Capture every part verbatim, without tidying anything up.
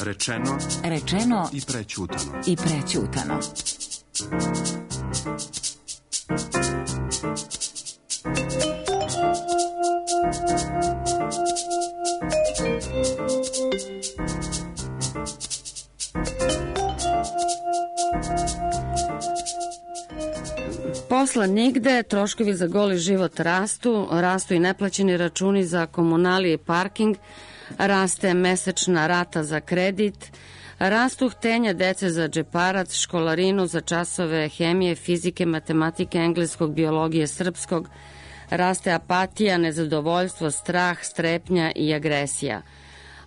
Rečeno, rečeno i prećutano. I prećutano. Posla nigde, troškovi za goli život rastu, rastu i neplaćeni računi za komunalije i parking, raste mesečna rata za kredit, rastu htenja dece za džeparac, školarinu za časove hemije, fizike, matematike, engleskog, biologije, srpskog, raste apatija, nezadovoljstvo, strah, strepnja i agresija.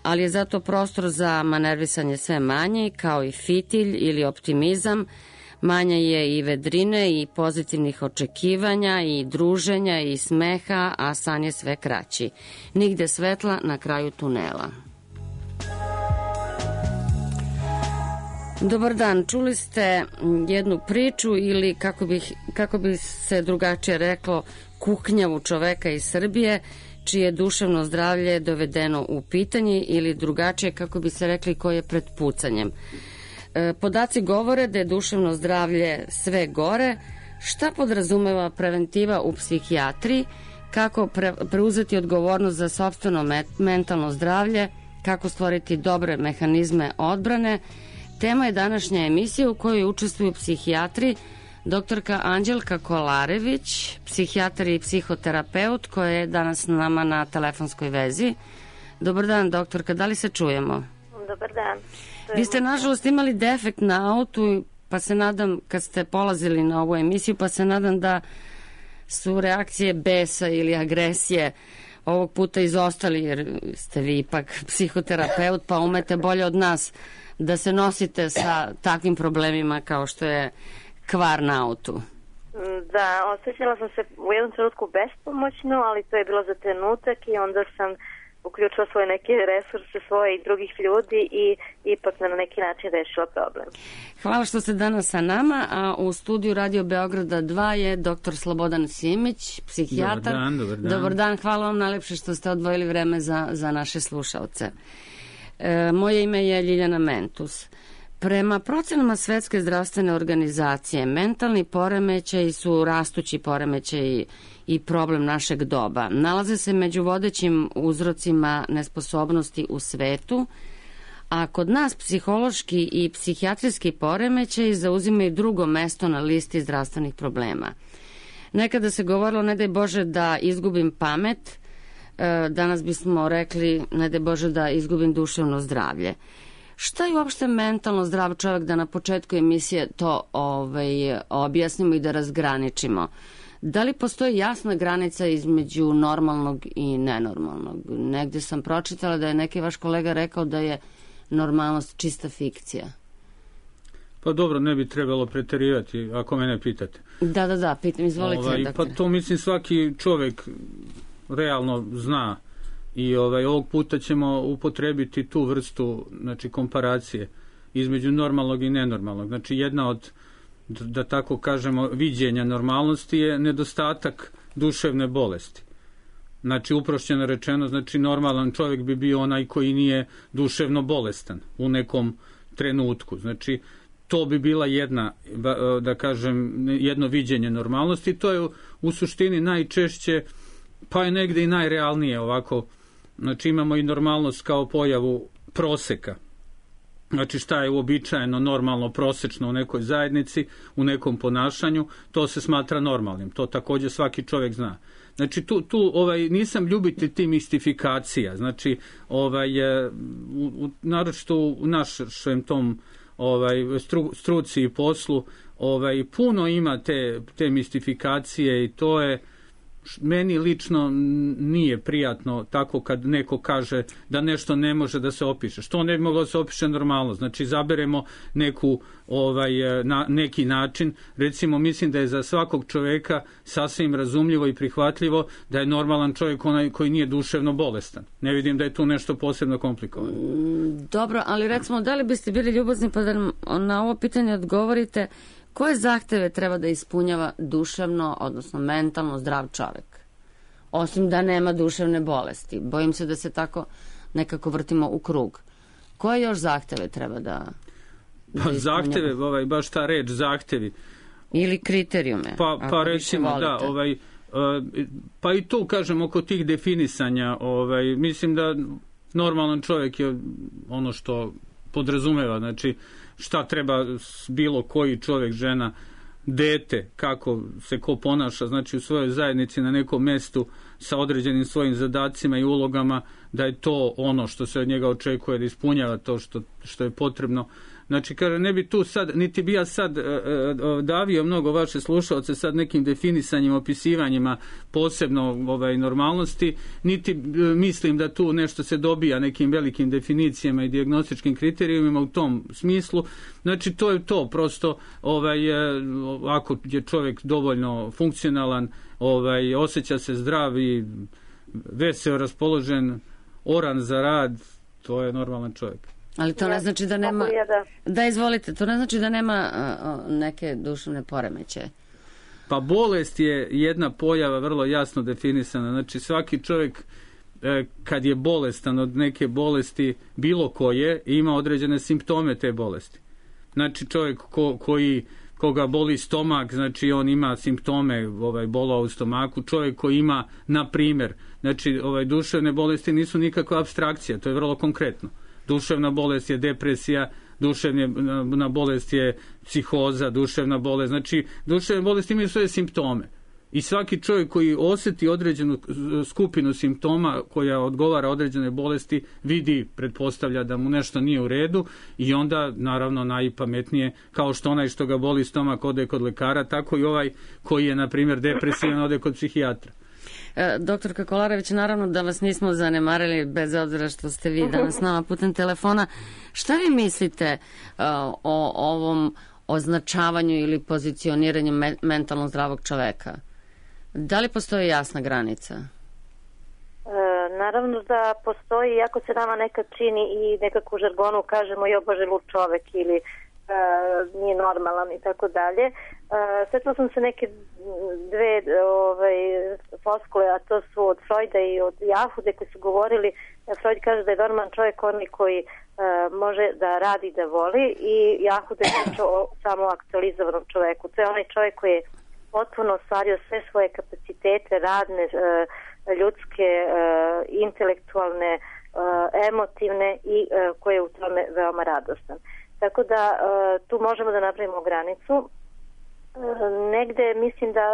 Ali je zato prostor za manervisanje sve manji, kao i fitilj ili optimizam, manja je i vedrine i pozitivnih očekivanja i druženja i smeha, a san je sve kraći. Nigde svetla na kraju tunela. Dobar dan, čuli ste jednu priču ili kako, bih, kako bi se drugačije reklo kuknjavu čoveka iz Srbije, čije duševno zdravlje dovedeno u pitanje ili drugačije kako bi se rekli ko je pred pucanjem. Podaci govore da je duševno zdravlje sve gore. Šta podrazumeva preventiva u psihijatriji, kako pre, preuzeti odgovornost za sopstveno met, mentalno zdravlje, kako stvoriti dobre mehanizme odbrane. Tema je današnja emisija u kojoj učestvuju psihijatri doktorka Anđelka Kolarević, psihijatar i psihoterapeut koja je danas s nama na telefonskoj vezi. Dobar dan, doktorka, da li se čujemo? Dobar dan. Vi ste nažalost imali defekt na autu, pa se nadam, kad ste polazili na ovu emisiju, pa se nadam da su reakcije besa ili agresije ovog puta izostali, jer ste vi ipak psihoterapeut, pa umete bolje od nas da se nosite sa takvim problemima kao što je kvar na autu. Da, osjećala sam se u jednom trenutku bespomoćno, ali to je bilo za trenutak i onda sam uključila svoje neke resurse svoje i drugih ljudi i ipak na neki način rešila problem. Hvala što ste danas sa nama, a u studiju Radio Beograda dva je doktor Slobodan Simić, psihijatar. Dobar dan, dobar dan. Dobar dan, hvala vam najlepše što ste odvojili vreme za, za naše slušalce. E, moje ime je Ljiljana Mentus. Prema procenama Svetske zdravstvene organizacije, mentalni poremećaji su rastući poremećaji i problem našeg doba. Nalaze se među vodećim uzrocima nesposobnosti u svetu, a kod nas psihološki i psihijatrijski poremećaji zauzimaju drugo mesto na listi zdravstvenih problema. Nekada se govorilo, ne daj Bože da izgubim pamet, danas bismo rekli, ne daj Bože da izgubim duševno zdravlje. Šta je uopšte mentalno zdrav čovjek, da na početku emisije to ovaj, objasnimo i da razgraničimo? Da li postoji jasna granica između normalnog i nenormalnog? Negde sam pročitala da je neki vaš kolega rekao da je normalnost čista fikcija. Pa dobro, ne bi trebalo preterivati, ako mene pitate. Da, da, da, pitam, izvolite. Ovaj, pa to mislim svaki čovjek realno zna. I ovaj, ovog puta ćemo upotrebiti tu vrstu, znači, komparacije između normalnog i nenormalnog. Znači, jedna od, da tako kažemo, viđenja normalnosti je nedostatak duševne bolesti. Znači, uprošćeno rečeno, znači, normalan čovjek bi bio onaj koji nije duševno bolestan u nekom trenutku. Znači, to bi bila jedna, da kažem, jedno viđenje normalnosti. To je u suštini najčešće, pa je negde i najrealnije ovako. Znači, imamo i normalnost kao pojavu proseka. Znači, šta je uobičajeno, normalno, prosečno u nekoj zajednici, u nekom ponašanju, to se smatra normalnim. To također svaki čovjek zna. Znači, tu, tu ovaj, nisam ljubitelj ti mistifikacija. Znači, ovaj, u, u, naročito u našem tom ovaj, stru, struci i poslu, ovaj, puno ima te, te mistifikacije i to je, meni lično nije prijatno tako kad neko kaže da nešto ne može da se opiše. Što ne bi moglo da se opiše normalno? Znači, zaberemo neku, ovaj, na, neki način. Recimo, mislim da je za svakog čoveka sasvim razumljivo i prihvatljivo da je normalan čovjek onaj koji nije duševno bolestan. Ne vidim da je tu nešto posebno komplikovano. Dobro, ali recimo, da li biste bili ljubazni pa da na ovo pitanje odgovorite, koje zahteve treba da ispunjava duševno, odnosno mentalno zdrav čovjek? osim da nema duševne bolesti. Bojim se da se tako nekako vrtimo u krug. Koje još zahteve treba da... da pa zahteve, ovaj, baš ta reč zahtevi. Ili kriterijume. Pa, pa recimo, da, ovaj, pa i tu, kažem, oko tih definisanja, ovaj, mislim da normalan čovjek je ono što podrazumeva, znači šta treba bilo koji čovjek, žena, dete, kako se ko ponaša, znači u svojoj zajednici na nekom mjestu sa određenim svojim zadacima i ulogama, da je to ono što se od njega očekuje, da ispunjava to što, što je potrebno. Znači, kaže, ne bi tu sad, niti bi ja sad e, e, davio mnogo vaše slušalce sad nekim definisanjima, opisivanjima posebno ovaj, normalnosti, niti e, mislim da tu nešto se dobija nekim velikim definicijama i dijagnostičkim kriterijumima u tom smislu. Znači, to je to, prosto, ovaj, e, ako je čovjek dovoljno funkcionalan, ovaj, osjeća se zdrav i veseo, raspoložen, oran za rad, to je normalan čovjek. Ali to ne znači da nema... Da, izvolite, to ne znači da nema uh, neke duševne poremećaje. Pa bolest je jedna pojava vrlo jasno definisana. Znači svaki čovjek eh, kad je bolestan od neke bolesti bilo koje, ima određene simptome te bolesti. Znači čovjek ko, koji koga boli stomak, znači on ima simptome ovaj, bolova u stomaku. Čovjek koji ima, na primjer, znači ovaj, duševne bolesti nisu nikakva apstrakcija, to je vrlo konkretno. Duševna bolest je depresija, duševna bolest je psihoza, duševna bolest. Znači, duševne bolesti imaju svoje simptome. I svaki čovjek koji osjeti određenu skupinu simptoma koja odgovara određene bolesti, vidi, pretpostavlja da mu nešto nije u redu i onda, naravno, najpametnije, kao što onaj što ga boli stomak ode kod lekara, tako i ovaj koji je, na primjer, depresivan ode kod psihijatra. Doktorka Kolarević, naravno da vas nismo zanemarili bez obzira što ste vi danas s nama putem telefona. Šta vi mislite uh, o ovom označavanju ili pozicioniranju me- mentalno zdravog čoveka? Da li postoji jasna granica? E, naravno da postoji, iako se nama nekad čini i nekako u žargonu kažemo jo bože lud čovek ili e, nije normalan i tako dalje. Sjetila sam se neke dve ovaj, floskule, a to su od Freuda i od Jahude koji su govorili, Freud kaže da je normalan čovjek onaj koji uh, može da radi i da voli i Jahude priča o samo aktualizovanom čovjeku. To je onaj čovjek koji je potpuno ostvario sve svoje kapacitete, radne, uh, ljudske, uh, intelektualne, uh, emotivne i uh, koji je u tome veoma radostan. Tako da uh, tu možemo da napravimo granicu. Negde mislim da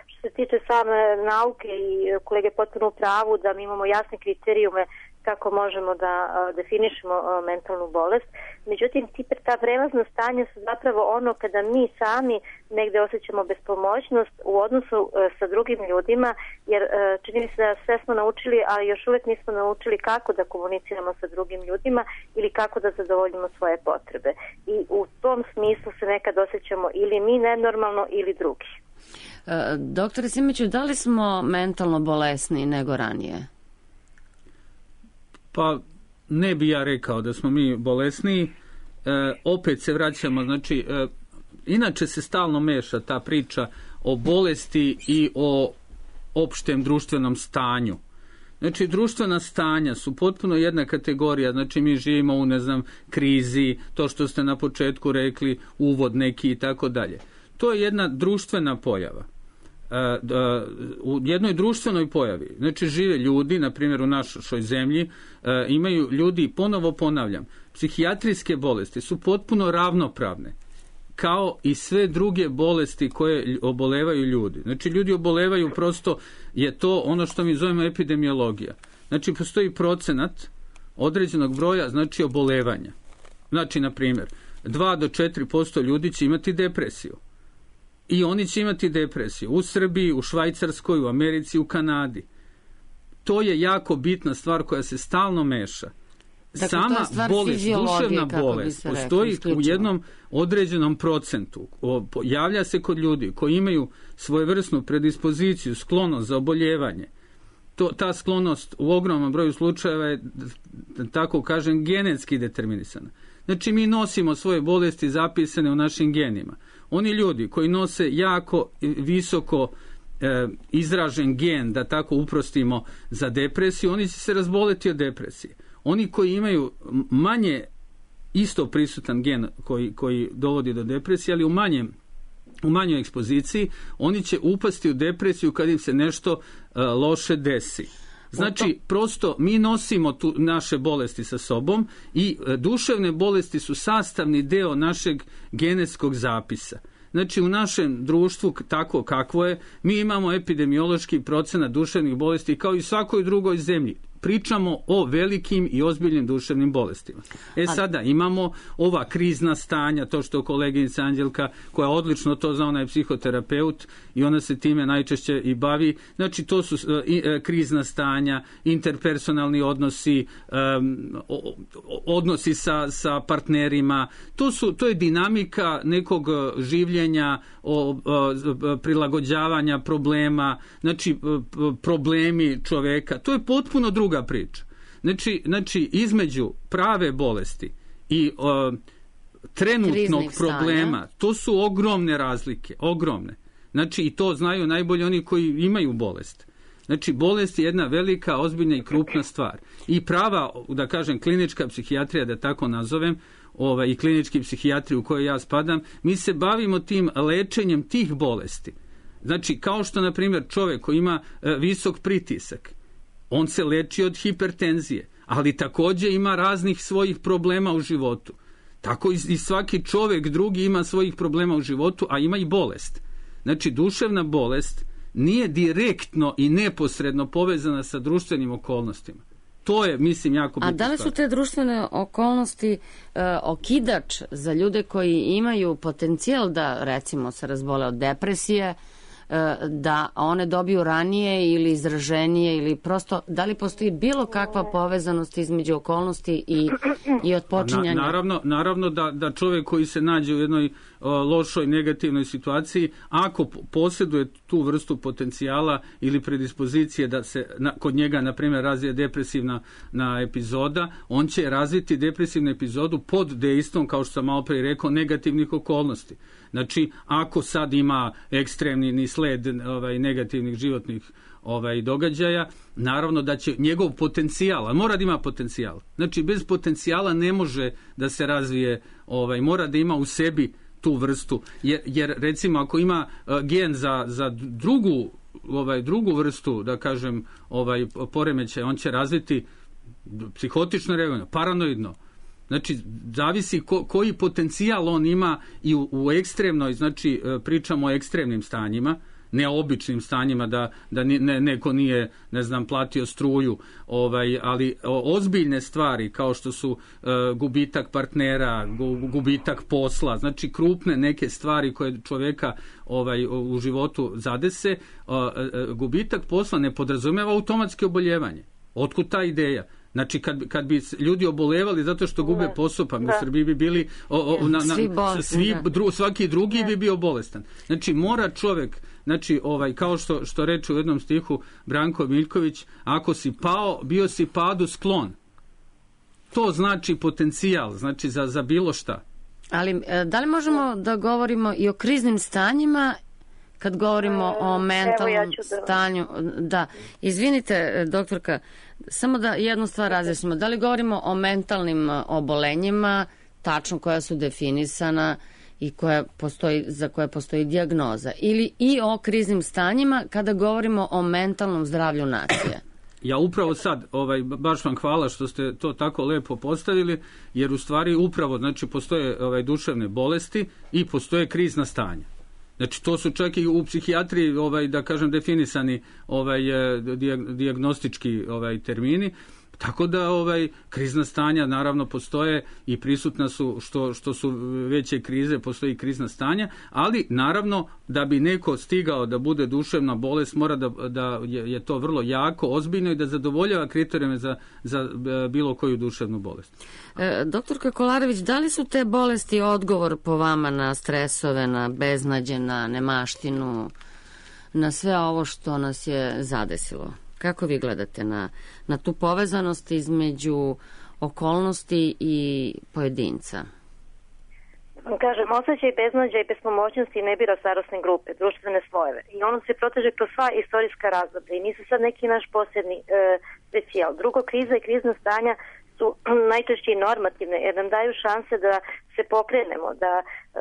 što se tiče same nauke i kolege potpuno u pravu da mi imamo jasne kriterijume kako možemo da definišemo mentalnu bolest. Međutim, ta prelazna stanja su zapravo ono kada mi sami negde osjećamo bespomoćnost u odnosu sa drugim ljudima, jer čini mi se da sve smo naučili, ali još uvijek nismo naučili kako da komuniciramo sa drugim ljudima ili kako da zadovoljimo svoje potrebe. I u tom smislu se nekad osjećamo ili mi nenormalno ili drugi. E, doktore Simiću, da li smo mentalno bolesni nego ranije? Pa ne bi ja rekao da smo mi bolesniji. E, opet se vraćamo, znači e, inače se stalno meša ta priča o bolesti i o opštem društvenom stanju. Znači društvena stanja su potpuno jedna kategorija, znači mi živimo u, ne znam, krizi, to što ste na početku rekli, uvod neki i tako dalje. To je jedna društvena pojava. U jednoj društvenoj pojavi, znači žive ljudi, na primjer u našoj zemlji, imaju ljudi, ponovo ponavljam, psihijatrijske bolesti su potpuno ravnopravne, kao i sve druge bolesti koje obolevaju ljudi. Znači ljudi obolevaju, prosto je to ono što mi zovemo epidemiologija. Znači postoji procenat određenog broja, znači obolevanja. Znači, na primjer, dva do četiri posto ljudi će imati depresiju. I oni će imati depresiju u Srbiji, u Švajcarskoj, u Americi, u Kanadi. To je jako bitna stvar koja se stalno meša. Dakle, sama bolest, duševna bolest postoji rekli, u jednom određenom procentu. Javlja se kod ljudi koji imaju svojevrsnu predispoziciju, sklonost za oboljevanje. To, ta sklonost u ogromnom broju slučajeva je, tako kažem, genetski determinisana. Znači mi nosimo svoje bolesti zapisane u našim genima. Oni ljudi koji nose jako visoko e, izražen gen, da tako uprostimo, za depresiju, oni će se razboleti od depresije. Oni koji imaju manje isto prisutan gen koji, koji dovodi do depresije, ali u manjem u manjoj ekspoziciji, oni će upasti u depresiju kad im se nešto uh, loše desi. Znači, prosto mi nosimo tu naše bolesti sa sobom i uh, duševne bolesti su sastavni deo našeg genetskog zapisa. Znači, u našem društvu, tako kakvo je, mi imamo epidemiološki procenat duševnih bolesti kao i svakoj drugoj zemlji. Pričamo o velikim i ozbiljnim duševnim bolestima. E sada, imamo ova krizna stanja, to što koleginica Anđelka, koja odlično to zna, ona je psihoterapeut i ona se time najčešće i bavi. Znači, to su uh, i, uh, krizna stanja, interpersonalni odnosi, um, odnosi sa, sa partnerima. To, su, to je dinamika nekog življenja, o, o, prilagođavanja problema, znači problemi čoveka. To je potpuno druga priča. Znači, znači između prave bolesti i o, trenutnog kriznih problema, stanja, to su ogromne razlike, ogromne. Znači, i to znaju najbolje oni koji imaju bolest. Znači, bolest je jedna velika, ozbiljna i krupna stvar. I prava, da kažem, klinička psihijatrija, da tako nazovem, ovaj, i klinički psihijatriji u kojoj ja spadam, mi se bavimo tim lečenjem tih bolesti. Znači, kao što, na primjer, čovjek koji ima e, visok pritisak, on se leči od hipertenzije, ali također ima raznih svojih problema u životu. Tako i, i svaki čovjek drugi ima svojih problema u životu, a ima i bolest. Znači, duševna bolest nije direktno i neposredno povezana sa društvenim okolnostima. To je, mislim, jako bitno. A da li su te društvene okolnosti e, okidač za ljude koji imaju potencijal da, recimo, se razbole od depresije, e, da one dobiju ranije ili izraženije, ili prosto, da li postoji bilo kakva povezanost između okolnosti i, i otpočinjanja? Na, naravno, naravno da, da čovjek koji se nađe u jednoj o, lošoj, negativnoj situaciji, ako posjeduje tu vrstu potencijala ili predispozicije da se na, kod njega, na primjer, razvije depresivna na epizoda, on će razviti depresivnu epizodu pod dejstvom, kao što sam malo prije rekao, negativnih okolnosti. Znači, ako sad ima ekstremni sled ovaj, negativnih životnih ovaj, događaja, naravno da će njegov potencijal, a mora da ima potencijal. Znači, bez potencijala ne može da se razvije, ovaj, mora da ima u sebi tu vrstu, jer, jer recimo ako ima uh, gen za, za drugu, ovaj, drugu vrstu, da kažem, ovaj, poremećaj, on će razviti psihotično reagovanje, paranoidno. Znači, zavisi ko, koji potencijal on ima i u, u ekstremnoj, znači pričamo o ekstremnim stanjima, ne običnim stanjima da, da ne, neko nije, ne znam, platio struju, ovaj, ali o, ozbiljne stvari kao što su e, gubitak partnera, gu, gubitak posla, znači krupne neke stvari koje čovjeka ovaj, u životu zadese, e, e, gubitak posla ne podrazumijeva automatski oboljevanje. Otkud ta ideja? Znači, kad, kad bi ljudi obolevali zato što gube posao, pa mi u Srbiji bi bili o, o, na, na, svi bolesni, svi, dru, svaki drugi ne. bi bio bolestan. Znači, mora čovjek, znači, ovaj, kao što, što reče u jednom stihu Branko Miljković, ako si pao, bio si padu sklon. To znači potencijal, znači za, za bilo šta. Ali, da li možemo da govorimo i o kriznim stanjima kad govorimo o mentalnom ja da... stanju? Da, izvinite, doktorka, samo da jednu stvar razjasnimo. Da li govorimo o mentalnim obolenjima, tačno koja su definisana i koja postoji, za koje postoji dijagnoza, ili i o kriznim stanjima kada govorimo o mentalnom zdravlju nacije? Ja upravo sad, ovaj, baš vam hvala što ste to tako lepo postavili, jer u stvari upravo, znači, postoje ovaj, duševne bolesti i postoje krizna stanja. Znači, to su čak i u psihijatriji, ovaj, da kažem, definisani ovaj, dijagnostički ovaj, termini. Tako da ovaj, krizna stanja naravno postoje i prisutna su, što, što su veće krize, postoji krizna stanja, ali naravno da bi neko stigao da bude duševna bolest, mora da, da je, je to vrlo jako, ozbiljno i da zadovoljava kriterijume za, za bilo koju duševnu bolest. E, doktorka Kolarević, da li su te bolesti odgovor po vama na stresove, na beznađe, na nemaštinu, na sve ovo što nas je zadesilo? Kako vi gledate na, na tu povezanost između okolnosti i pojedinca? kažem, osjećaj beznađa i bespomoćnosti ne bira starosne grupe, društvene slojeve. I ono se proteže kroz sva istorijska razdoblja i nisu sad neki naš posebni e, specijal. Drugo, kriza i krizna stanja su najčešće i normativne, jer nam daju šanse da se pokrenemo, da,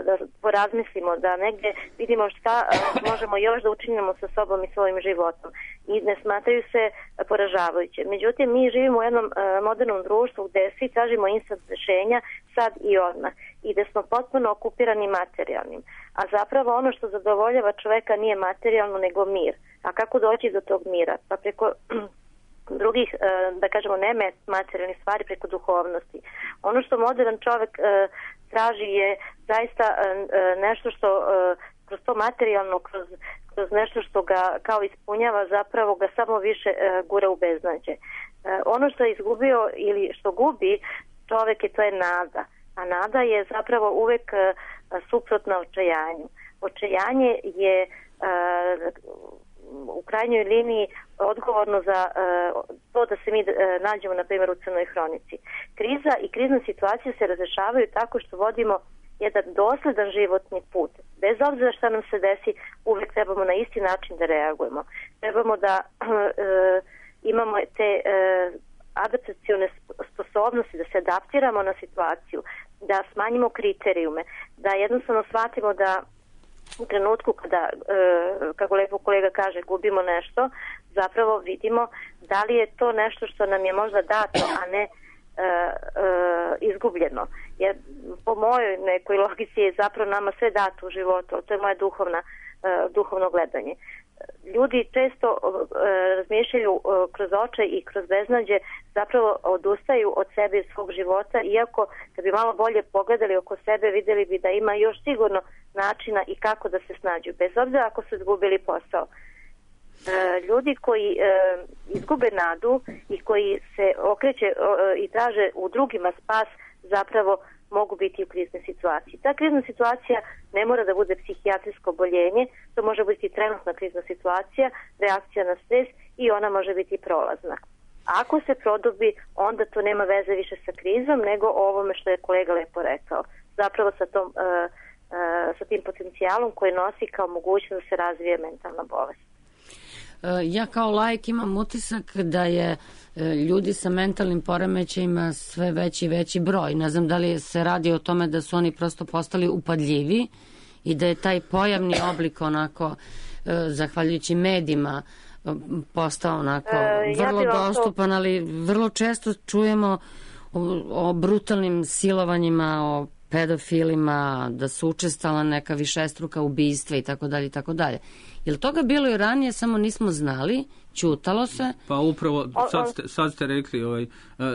da porazmislimo, da negdje vidimo šta a, možemo još da učinimo sa sobom i svojim životom. I ne smatraju se poražavajuće. Međutim, mi živimo u jednom a, modernom društvu gdje svi tražimo instant rješenja sad i odmah i da smo potpuno okupirani materijalnim. A zapravo ono što zadovoljava čoveka nije materijalno nego mir. A kako doći do tog mira? Pa preko drugih, da kažemo, ne materijalnih stvari, preko duhovnosti. Ono što modern čovjek traži je zaista nešto što kroz to materijalno, kroz, kroz nešto što ga kao ispunjava, zapravo ga samo više gura u beznađe. Ono što je izgubio ili što gubi čovjek je, to je nada. A nada je zapravo uvek suprotna očajanju. Očajanje je u krajnjoj liniji odgovorno za uh, to da se mi uh, nađemo, na primjer, u crnoj hronici. Kriza i krizne situacije se razrešavaju tako što vodimo jedan dosledan životni put. Bez obzira šta nam se desi, uvijek trebamo na isti način da reagujemo. Trebamo da uh, imamo te uh, adaptacione sposobnosti, da se adaptiramo na situaciju, da smanjimo kriterijume, da jednostavno shvatimo da u trenutku kada, e, kako lepo kolega kaže, gubimo nešto, zapravo vidimo da li je to nešto što nam je možda dato, a ne e, e, izgubljeno. Jer po mojoj nekoj logici je zapravo nama sve dato u životu, to je moje duhovna, e, duhovno gledanje. Ljudi često e, razmišljaju e, kroz očaj i kroz beznađe, zapravo odustaju od sebe i svog života, iako kad bi malo bolje pogledali oko sebe, vidjeli bi da ima još sigurno načina i kako da se snađu, bez obzira ako su izgubili posao. E, ljudi koji e, izgube nadu i koji se okreće e, i traže u drugima spas, zapravo mogu biti u kriznoj situaciji. Ta krizna situacija ne mora da bude psihijatrijsko oboljenje, to može biti trenutna krizna situacija, reakcija na stres i ona može biti prolazna. Ako se produbi, onda to nema veze više sa krizom, nego ovome što je kolega lepo rekao. Zapravo sa, tom, uh, uh, sa tim potencijalom koji nosi kao mogućnost da se razvije mentalna bolest. Ja kao laik imam utisak da je ljudi sa mentalnim poremećajima sve veći i veći broj. Ne znam da li se radi o tome da su oni prosto postali upadljivi i da je taj pojavni oblik onako, zahvaljujući medijima, postao onako vrlo dostupan, ali vrlo često čujemo o, o brutalnim silovanjima, o pedofilima, da su učestala neka višestruka ubistva i tako dalje i tako dalje. Je li toga bilo i ranije, samo nismo znali, ćutalo se? Pa upravo, sad ste, sad ste rekli, ovaj,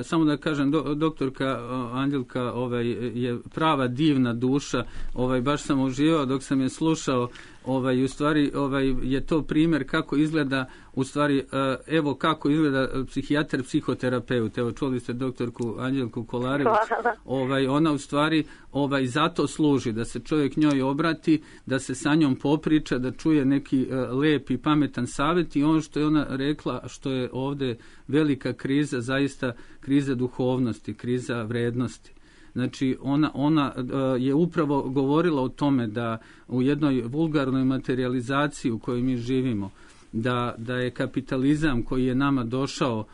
samo da kažem, do, doktorka Anđelka ovaj, je prava divna duša, ovaj, baš sam uživao dok sam je slušao, ovaj, u stvari ovaj, je to primjer kako izgleda, u stvari, evo kako izgleda psihijatar, psihoterapeut. Evo, čuli ste doktorku Anđelku Kolarević, ovaj, ona u stvari ovaj, zato služi, da se čovjek njoj obrati, da se sa njom popriča, da čuje neki uh, lep i pametan savjet i ono što je ona rekla, što je ovdje velika kriza, zaista kriza duhovnosti, kriza vrednosti. Znači, ona, ona uh, je upravo govorila o tome da u jednoj vulgarnoj materializaciji u kojoj mi živimo, da, da je kapitalizam koji je nama došao, uh,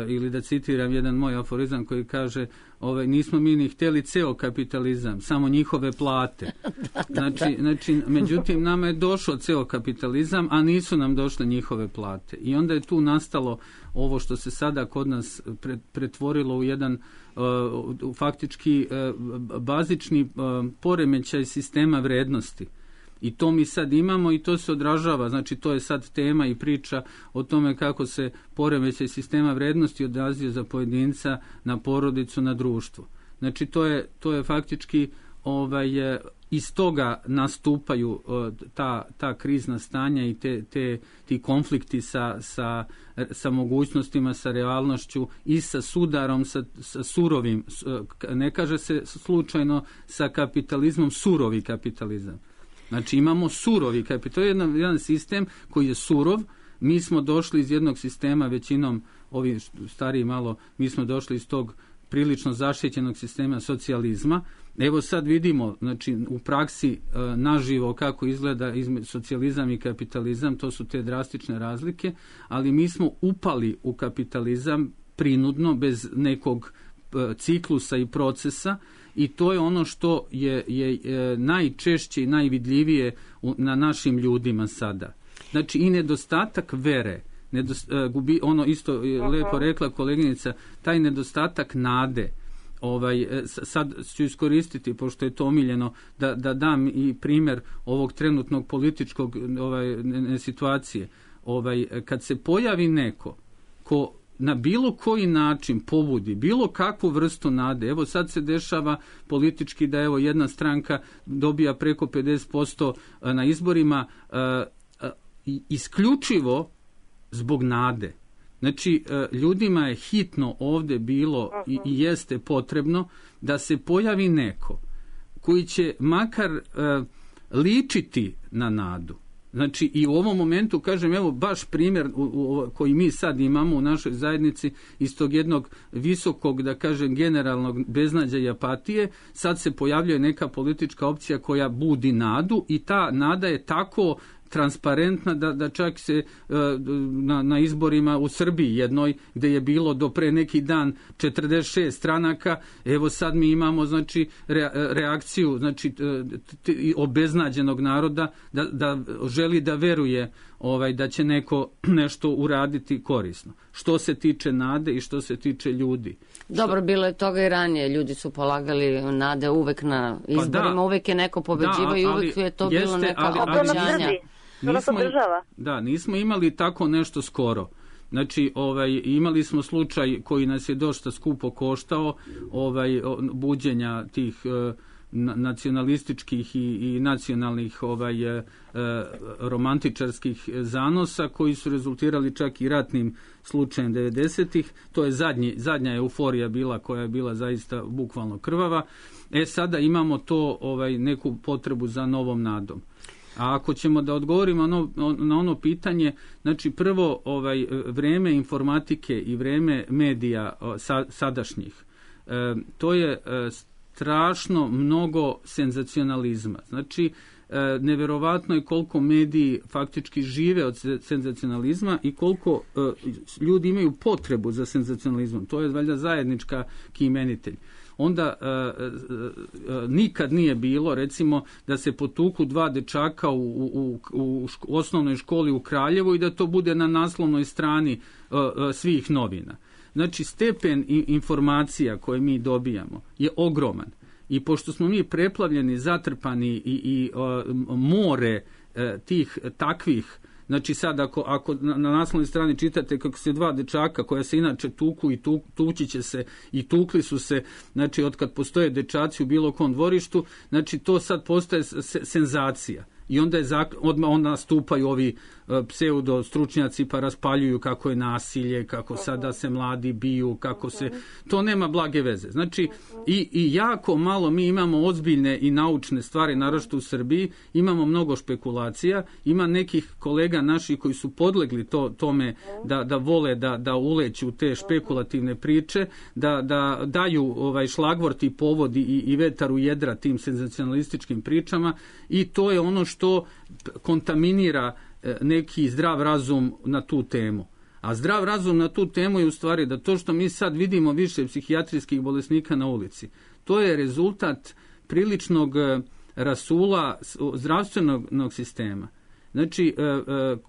ili da citiram jedan moj aforizam koji kaže, ovaj, nismo mi ni htjeli ceo kapitalizam, samo njihove plate. da, da, znači, da. znači, međutim, nama je došao ceo kapitalizam, a nisu nam došle njihove plate. I onda je tu nastalo ovo što se sada kod nas pretvorilo u jedan uh, faktički uh, bazični uh, poremećaj sistema vrednosti. I to mi sad imamo i to se odražava, znači to je sad tema i priča o tome kako se poremećaj sistema vrednosti odrazio za pojedinca, na porodicu, na društvo. Znači to je, to je faktički ovaj, iz toga nastupaju ta, ta krizna stanja i te, te, ti konflikti sa, sa, sa mogućnostima, sa realnošću i sa sudarom, sa, sa surovim, ne kaže se slučajno sa kapitalizmom, surovi kapitalizam. Znači imamo surovi kapital, to je jedan, jedan sistem koji je surov, mi smo došli iz jednog sistema, većinom ovi stariji malo, mi smo došli iz tog prilično zaštićenog sistema socijalizma, Evo sad vidimo, znači u praksi naživo kako izgleda između socijalizam i kapitalizam, to su te drastične razlike, ali mi smo upali u kapitalizam prinudno, bez nekog ciklusa i procesa, i to je ono što je, je, je najčešće i najvidljivije na našim ljudima sada. Znači i nedostatak vere, nedost, gubi, ono isto je lepo rekla koleginica, taj nedostatak nade. Ovaj, sad ću iskoristiti, pošto je to omiljeno, da, da dam i primjer ovog trenutnog političkog ovaj, ne, situacije. Ovaj, kad se pojavi neko ko na bilo koji način pobudi bilo kakvu vrstu nade, evo sad se dešava politički da evo jedna stranka dobija preko pedeset posto na izborima, isključivo zbog nade. Znači, ljudima je hitno ovdje bilo i, i jeste potrebno da se pojavi neko koji će makar uh, ličiti na nadu. Znači, i u ovom momentu, kažem, evo baš primjer u, u, koji mi sad imamo u našoj zajednici iz tog jednog visokog, da kažem, generalnog beznađa i apatije, sad se pojavljuje neka politička opcija koja budi nadu i ta nada je tako transparentna da, da čak se na, na izborima u Srbiji jednoj, gdje je bilo do pre neki dan četrdeset šest stranaka, evo sad mi imamo znači re, reakciju znači t, t, obeznađenog naroda da, da želi da veruje ovaj da će neko nešto uraditi korisno. Što se tiče nade i što se tiče ljudi. Dobro, bilo je toga i ranije. Ljudi su polagali nade uvek na izborima, pa da, uvek je neko pobeđivao da, i uvek je to jeste, bilo neka obećanja. Nismo, da, nismo imali tako nešto skoro. Znači, ovaj, imali smo slučaj koji nas je dosta skupo koštao, ovaj, buđenja tih eh, nacionalističkih i, i nacionalnih ovaj, eh, romantičarskih zanosa koji su rezultirali čak i ratnim slučajem devedesetih. To je zadnji, zadnja euforija bila koja je bila zaista bukvalno krvava. E, sada imamo to ovaj, neku potrebu za novom nadom. A ako ćemo da odgovorimo na ono, na ono pitanje, znači prvo ovaj vreme informatike i vreme medija sa, sadašnjih, e, to je e, strašno mnogo senzacionalizma. Znači, e, neverovatno je koliko mediji faktički žive od senzacionalizma i koliko e, ljudi imaju potrebu za senzacionalizmom. To je valjda zajednička imenitelj. Onda e, e, nikad nije bilo, recimo, da se potuku dva dečaka u, u, u, u osnovnoj školi u Kraljevu i da to bude na naslovnoj strani e, e, svih novina. Znači, stepen informacija koje mi dobijamo je ogroman. I pošto smo mi preplavljeni, zatrpani i, i e, more e, tih takvih, znači sad ako, ako na, na naslovnoj strani čitate kako se dva dečaka koja se inače tuku i tu, tući će se i tukli su se, znači od kad postoje dečaci u bilo kom dvorištu, znači to sad postaje se, senzacija. I onda je zak, odmah onda nastupaju ovi uh, pseudo stručnjaci pa raspaljuju kako je nasilje, kako sada se mladi biju, kako se... To nema blage veze. Znači, i, i jako malo mi imamo ozbiljne i naučne stvari, naročito u Srbiji, imamo mnogo špekulacija, ima nekih kolega naših koji su podlegli to, tome da, da vole da, da uleću te špekulativne priče, da, da daju ovaj šlagvort i povod i, i vetar u jedra tim senzacionalističkim pričama i to je ono što što kontaminira neki zdrav razum na tu temu. A zdrav razum na tu temu je u stvari da to što mi sad vidimo više psihijatrijskih bolesnika na ulici, to je rezultat priličnog rasula zdravstvenog sistema. Znači,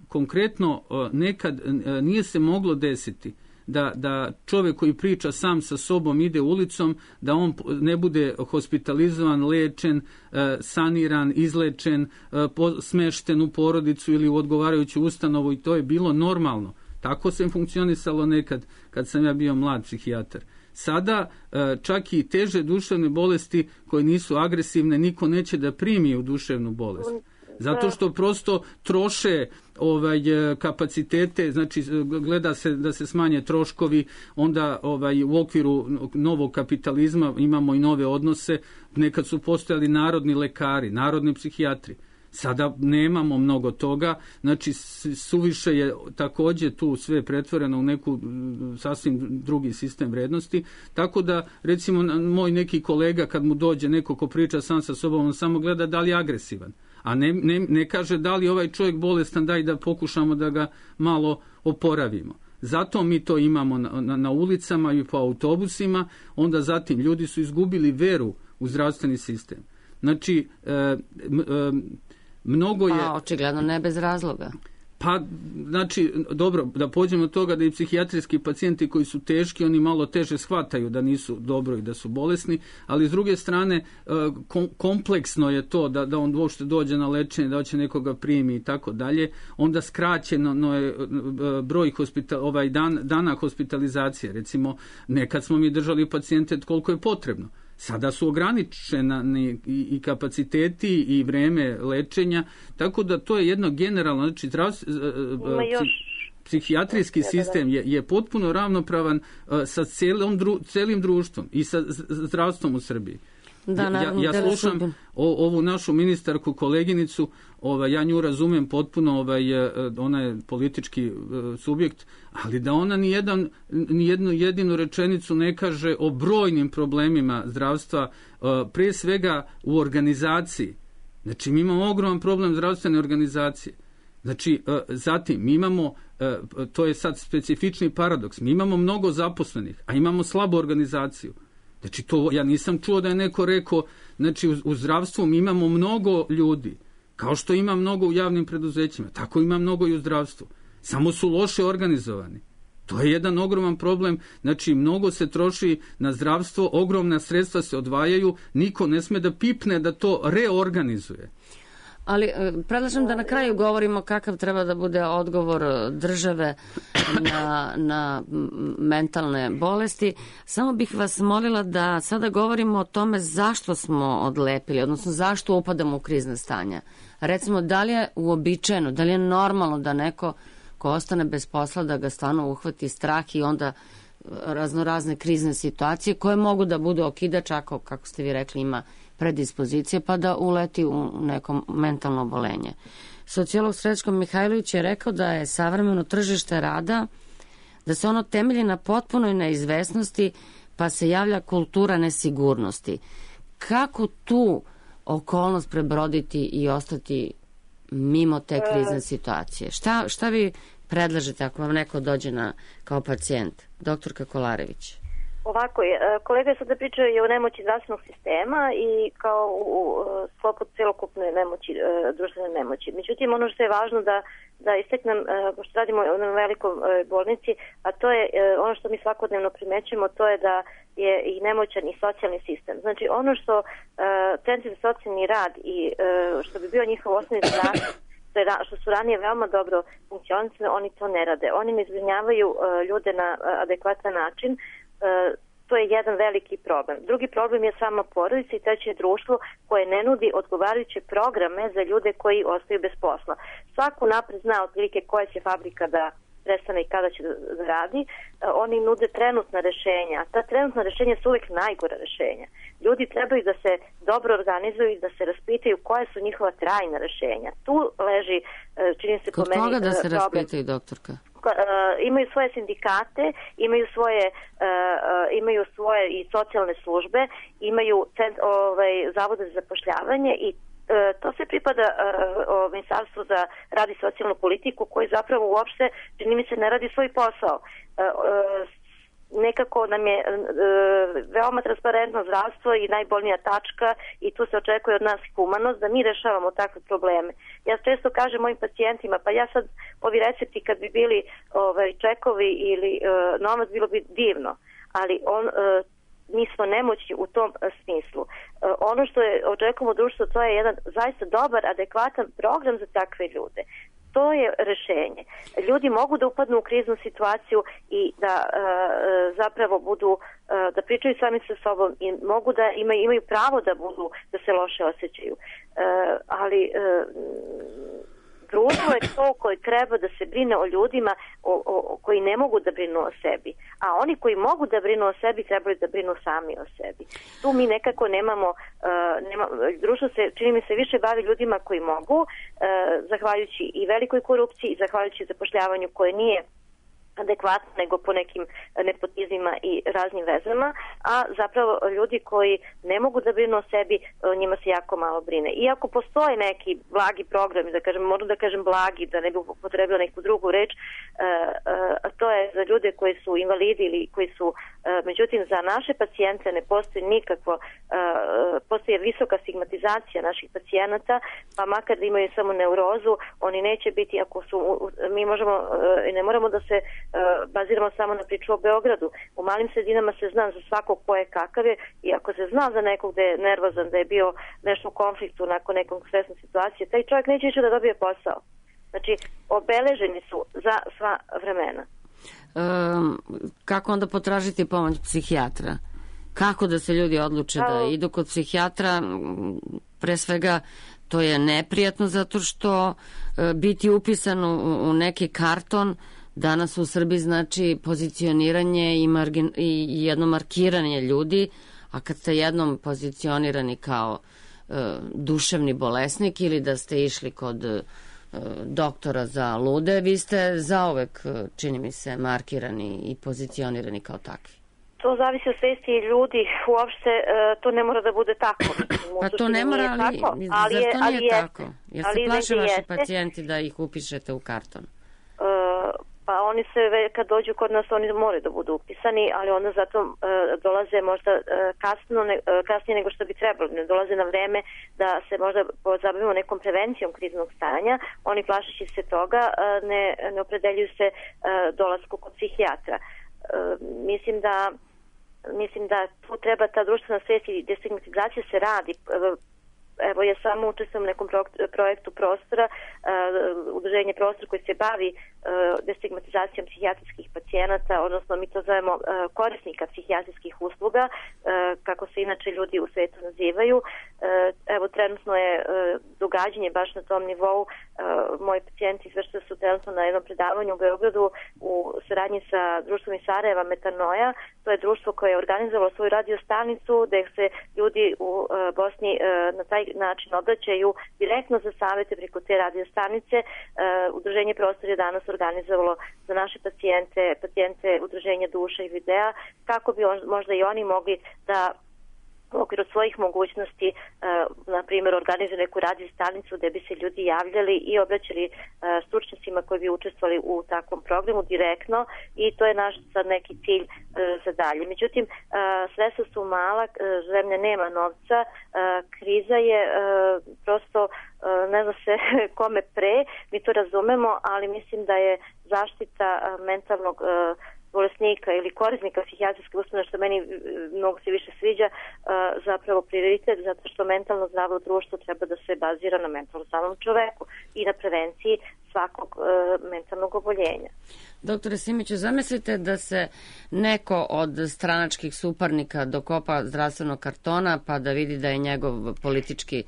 konkretno nekad nije se moglo desiti da, da čovjek koji priča sam sa sobom ide ulicom, da on ne bude hospitalizovan, lečen, saniran, izlečen, smešten u porodicu ili u odgovarajuću ustanovu i to je bilo normalno. Tako se funkcionisalo nekad kad sam ja bio mlad psihijatar. Sada čak i teže duševne bolesti koje nisu agresivne niko neće da primi u duševnu bolest. Zato što prosto troše ovaj kapacitete, znači gleda se da se smanje troškovi, onda ovaj u okviru novog kapitalizma imamo i nove odnose, nekad su postojali narodni lekari, narodni psihijatri. Sada nemamo mnogo toga, znači suviše je također tu sve pretvoreno u neku sasvim drugi sistem vrednosti, tako da recimo moj neki kolega kad mu dođe neko ko priča sam sa sobom, on samo gleda da li je agresivan, a ne, ne, ne kaže da li je ovaj čovjek bolestan, daj da pokušamo da ga malo oporavimo. Zato mi to imamo na, na, na ulicama i po autobusima, onda zatim ljudi su izgubili veru u zdravstveni sistem. Znači, e, e, mnogo je... Pa, očigledno ne bez razloga. Pa, znači, dobro, da pođemo od toga da i psihijatrijski pacijenti koji su teški, oni malo teže shvataju da nisu dobro i da su bolesni, ali s druge strane, kompleksno je to da, da on uopšte dođe na lečenje, da hoće nekoga primi i tako dalje, onda skraćeno je broj hospital, ovaj dan, dana hospitalizacije. Recimo, nekad smo mi držali pacijente koliko je potrebno. Sada su ograničeni i kapaciteti i vreme lečenja, tako da to je jedno generalno, znači psih, psihijatrijski sistem je, je potpuno ravnopravan sa celom, celim društvom i sa zdravstvom u Srbiji. Da, ja, ja slušam o, ovu našu ministarku, koleginicu, ovaj, ja nju razumem potpuno, ovaj, ona je politički subjekt, ali da ona ni, jedan, ni jednu jedinu rečenicu ne kaže o brojnim problemima zdravstva, prije svega u organizaciji. Znači, mi imamo ogroman problem zdravstvene organizacije. Znači, zatim, mi imamo, to je sad specifični paradoks, mi imamo mnogo zaposlenih, a imamo slabu organizaciju. Znači, to ja nisam čuo da je neko rekao, znači, u, u zdravstvu mi imamo mnogo ljudi, kao što ima mnogo u javnim preduzećima, tako ima mnogo i u zdravstvu. Samo su loše organizovani. To je jedan ogroman problem, znači, mnogo se troši na zdravstvo, ogromna sredstva se odvajaju, niko ne sme da pipne da to reorganizuje. Ali predlažem da na kraju govorimo kakav treba da bude odgovor države na, na mentalne bolesti. Samo bih vas molila da sada govorimo o tome zašto smo odlepili, odnosno zašto upadamo u krizne stanja. Recimo, da li je uobičajeno, da li je normalno da neko ko ostane bez posla, da ga stvarno uhvati strah i onda raznorazne krizne situacije koje mogu da budu okidač ako, kako ste vi rekli, ima predispozicije, pa da uleti u neko mentalno obolenje. Sociolog Srećko Mihajlović je rekao da je savremeno tržište rada, da se ono temelji na potpunoj neizvesnosti, pa se javlja kultura nesigurnosti. Kako tu okolnost prebroditi i ostati mimo te krizne situacije? Šta, šta vi predlažete ako vam neko dođe na, kao pacijent? Doktorka Kolarević. Ovako je, kolega je sada pričao i o nemoći zdravstvenog sistema i kao u, u sklopu celokupne nemoći, društvene nemoći. Međutim, ono što je važno da, da isteknem, pošto radimo u jednom velikom bolnici, a to je ono što mi svakodnevno primećujemo, to je da je i nemoćan i socijalni sistem. Znači, ono što centri za socijalni rad i što bi bio njihov osnovni zadatak, što su ranije veoma dobro funkcionisali, oni to ne rade. Oni ne zbrinjavaju ljude na adekvatan način. To je jedan veliki problem. Drugi problem je sama porodica i treće je društvo koje ne nudi odgovarajuće programe za ljude koji ostaju bez posla. Svako napred zna otprilike koja će fabrika da prestane i kada će da radi. Oni nude trenutna rešenja. Ta trenutna rešenja su uvijek najgora rešenja. Ljudi trebaju da se dobro organizuju i da se raspitaju koje su njihova trajna rešenja. Tu leži, čini se po meni, problem. Kod toga da se raspitaju, doktorka? Imaju svoje sindikate, imaju svoje uh, imaju svoje i socijalne službe, imaju cent, ovaj, zavode za zapošljavanje i uh, to se pripada uh, Ministarstvu za rad i socijalnu politiku koji zapravo uopšte, čini mi se, ne radi svoj posao. Uh, uh, nekako nam je e, veoma transparentno zdravstvo i najbolnija tačka i tu se očekuje od nas humanost da mi rešavamo takve probleme. Ja često kažem mojim pacijentima, pa ja sad ovi recepti kad bi bili ovaj, čekovi ili e, novac bilo bi divno, ali on e, mi smo nemoćni u tom e, smislu. E, ono što je očekujemo u društvu, to je jedan zaista dobar, adekvatan program za takve ljude. To je rešenje. Ljudi mogu da upadnu u kriznu situaciju i da e, zapravo budu, e, da pričaju sami sa sobom i mogu da imaju, imaju pravo da budu, da se loše osjećaju. E, ali e, društvo je to koje treba da se brine o ljudima o, o, koji ne mogu da brinu o sebi. A oni koji mogu da brinu o sebi trebaju da brinu sami o sebi. Tu mi nekako nemamo, uh, nema, društvo se, čini mi se, više bavi ljudima koji mogu, uh, zahvaljujući i velikoj korupciji, i zahvaljujući zapošljavanju koje nije adekvatno, nego po nekim nepotizmima i raznim vezama, a zapravo ljudi koji ne mogu da brinu o sebi, njima se jako malo brine. Iako postoje neki blagi programi, da kažem, moram da kažem blagi, da ne bi upotrebila neku drugu reč, a to je za ljude koji su invalidi ili koji su, međutim, za naše pacijente ne postoji nikakvo, postoji visoka stigmatizacija naših pacijenata, pa makar da imaju samo neurozu, oni neće biti, ako su, mi možemo, ne moramo da se baziramo samo na priču o Beogradu. U malim sredinama se zna za svakog ko je kakav je, i ako se zna za nekog da je nervozan, da je bio nešto u konfliktu nakon nekog stresne situacije, taj čovjek neće više da dobije posao. Znači, obeleženi su za sva vremena. Um, kako onda potražiti pomoć psihijatra? Kako da se ljudi odluče da idu kod psihijatra? Pre svega, to je neprijatno zato što uh, biti upisan u, u neki karton danas u Srbiji znači pozicioniranje i, margin, i jedno markiranje ljudi, a kad ste jednom pozicionirani kao e, duševni bolesnik ili da ste išli kod e, doktora za lude, vi ste zauvek, čini mi se, markirani i pozicionirani kao takvi. To zavisi od svesti ljudi, uopšte e, to ne mora da bude tako. Pa to ne mora, ali, tako, ali zar to nije ali tako? Jer se plaše vaši pacijenti da ih upišete u karton? E, Pa oni se, kad dođu kod nas, oni moraju da budu upisani, ali onda zato e, dolaze možda e, kasno, ne, e, kasnije nego što bi trebalo. Ne dolaze na vreme da se možda pozabavimo nekom prevencijom kriznog stanja. Oni plašeći se toga e, ne, ne opredeljuju se e, dolasku kod psihijatra. E, mislim da mislim da tu treba ta društvena svest i destigmatizacija se radi. E, Evo, ja samo učestvujem u nekom projektu Prostora, uh, udruženje Prostor koji se bavi uh, destigmatizacijom psihijatrijskih pacijenata, odnosno mi to zovemo uh, korisnika psihijatrijskih usluga, uh, kako se inače ljudi u svetu nazivaju. Uh, evo, trenutno je uh, događanje baš na tom nivou. Uh, moji pacijenti izvršili su trenutno na jednom predavanju u Beogradu u saradnji sa društvom iz Sarajeva Metanoja. To je društvo koje je organizovalo svoju radio stanicu gde se ljudi u uh, Bosni uh, na taj način obraćaju direktno za savete preko te radio stanice. Uh, udruženje Prostor je danas organizovalo za naše pacijente, pacijente udruženja Duša i Videa, kako bi on, možda i oni mogli da u okviru svojih mogućnosti, uh, na primjer, organizuju neku radio stanicu gde bi se ljudi javljali i obraćali uh, stručnjacima koji bi učestvovali u takvom programu direktno, i to je naš sad neki cilj uh, za dalje. Međutim, uh, sredstva su mala, uh, zemlja nema novca, uh, kriza je uh, prosto, uh, ne zna se kome pre, mi to razumemo, ali mislim da je zaštita uh, mentalnog uh, bolesnika ili korisnika psihijatrijske ustanove, što meni mnogo se više sviđa, zapravo prioritet, zato što mentalno zdravo društvo treba da se bazira na mentalno zdravom čoveku i na prevenciji svakog mentalnog oboljenja. Doktore Simiću, zamislite da se neko od stranačkih suparnika dokopa zdravstvenog kartona pa da vidi da je njegov politički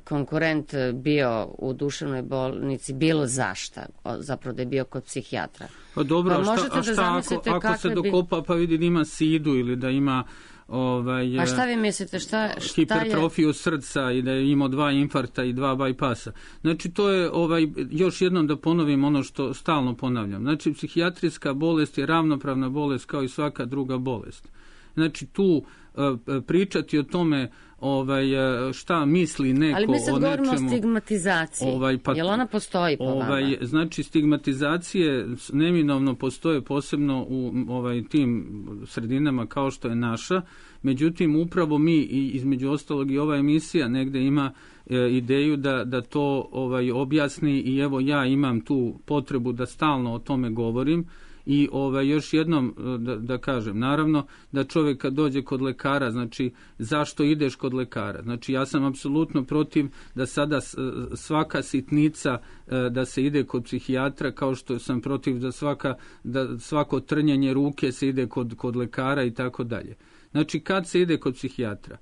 konkurent bio u duševnoj bolnici bilo zašta, zapravo da je bio kod psihijatra. Pa dobro, pa a šta, a šta ako, ako se dokopa bi... pa vidi da ima sidu ili da ima ovaj, pa šta vi mislite, šta, šta hipertrofiju je... srca i da je imao dva infarkta i dva bajpasa. Znači to je, ovaj, još jednom da ponovim ono što stalno ponavljam. Znači psihijatrijska bolest je ravnopravna bolest kao i svaka druga bolest. Znači tu pričati o tome ovaj, šta misli neko o nečemu. Ali mi sad govorimo o stigmatizaciji. Ovaj, pa, Jel ona postoji po ovaj, vama? Znači stigmatizacije neminovno postoje posebno u ovaj, tim sredinama kao što je naša. Međutim, upravo mi, i između ostalog i ova emisija negde ima e, ideju da, da to ovaj, objasni, i evo ja imam tu potrebu da stalno o tome govorim. I ovaj, još jednom da, da kažem, naravno da čovjek kad dođe kod lekara, znači zašto ideš kod lekara? Znači ja sam apsolutno protiv da sada svaka sitnica da se ide kod psihijatra, kao što sam protiv da, svaka, da svako trnjenje ruke se ide kod, kod lekara i tako dalje. Znači kad se ide kod psihijatra?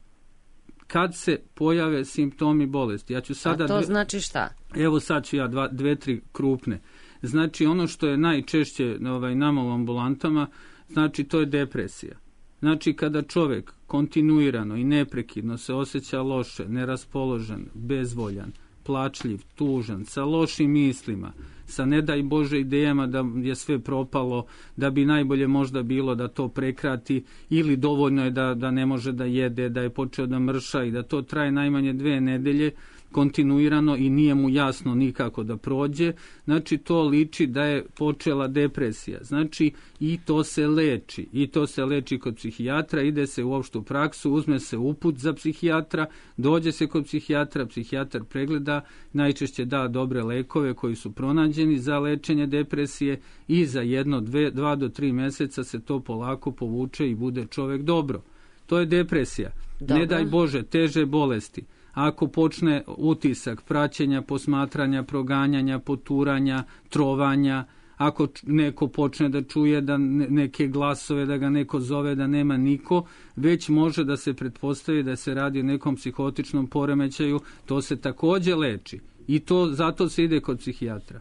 kad se pojave simptomi bolesti. Ja ću sada A to dve, znači šta? Evo sad ću ja dva, dve, tri krupne. Znači ono što je najčešće ovaj, nama u ambulantama, znači to je depresija. Znači kada čovjek kontinuirano i neprekidno se osjeća loše, neraspoložen, bezvoljan, plačljiv, tužan, sa lošim mislima, sa ne daj Bože idejama da je sve propalo, da bi najbolje možda bilo da to prekrati ili dovoljno je da, da ne može da jede, da je počeo da mrša i da to traje najmanje dve nedelje kontinuirano i nije mu jasno nikako da prođe, znači to liči da je počela depresija. Znači i to se leči. I to se leči kod psihijatra, ide se u opštu praksu, uzme se uput za psihijatra, dođe se kod psihijatra, psihijatar pregleda, najčešće da dobre lekove koji su pronađeni za lečenje depresije i za jedno, dve, dva do tri meseca se to polako povuče i bude čovjek dobro. To je depresija. Dobro. Ne daj Bože, teže bolesti. Ako počne utisak praćenja, posmatranja, proganjanja, poturanja, trovanja, ako neko počne da čuje da neke glasove, da ga neko zove, da nema niko, već može da se pretpostavi da se radi o nekom psihotičnom poremećaju, to se također leči. I to zato se ide kod psihijatra.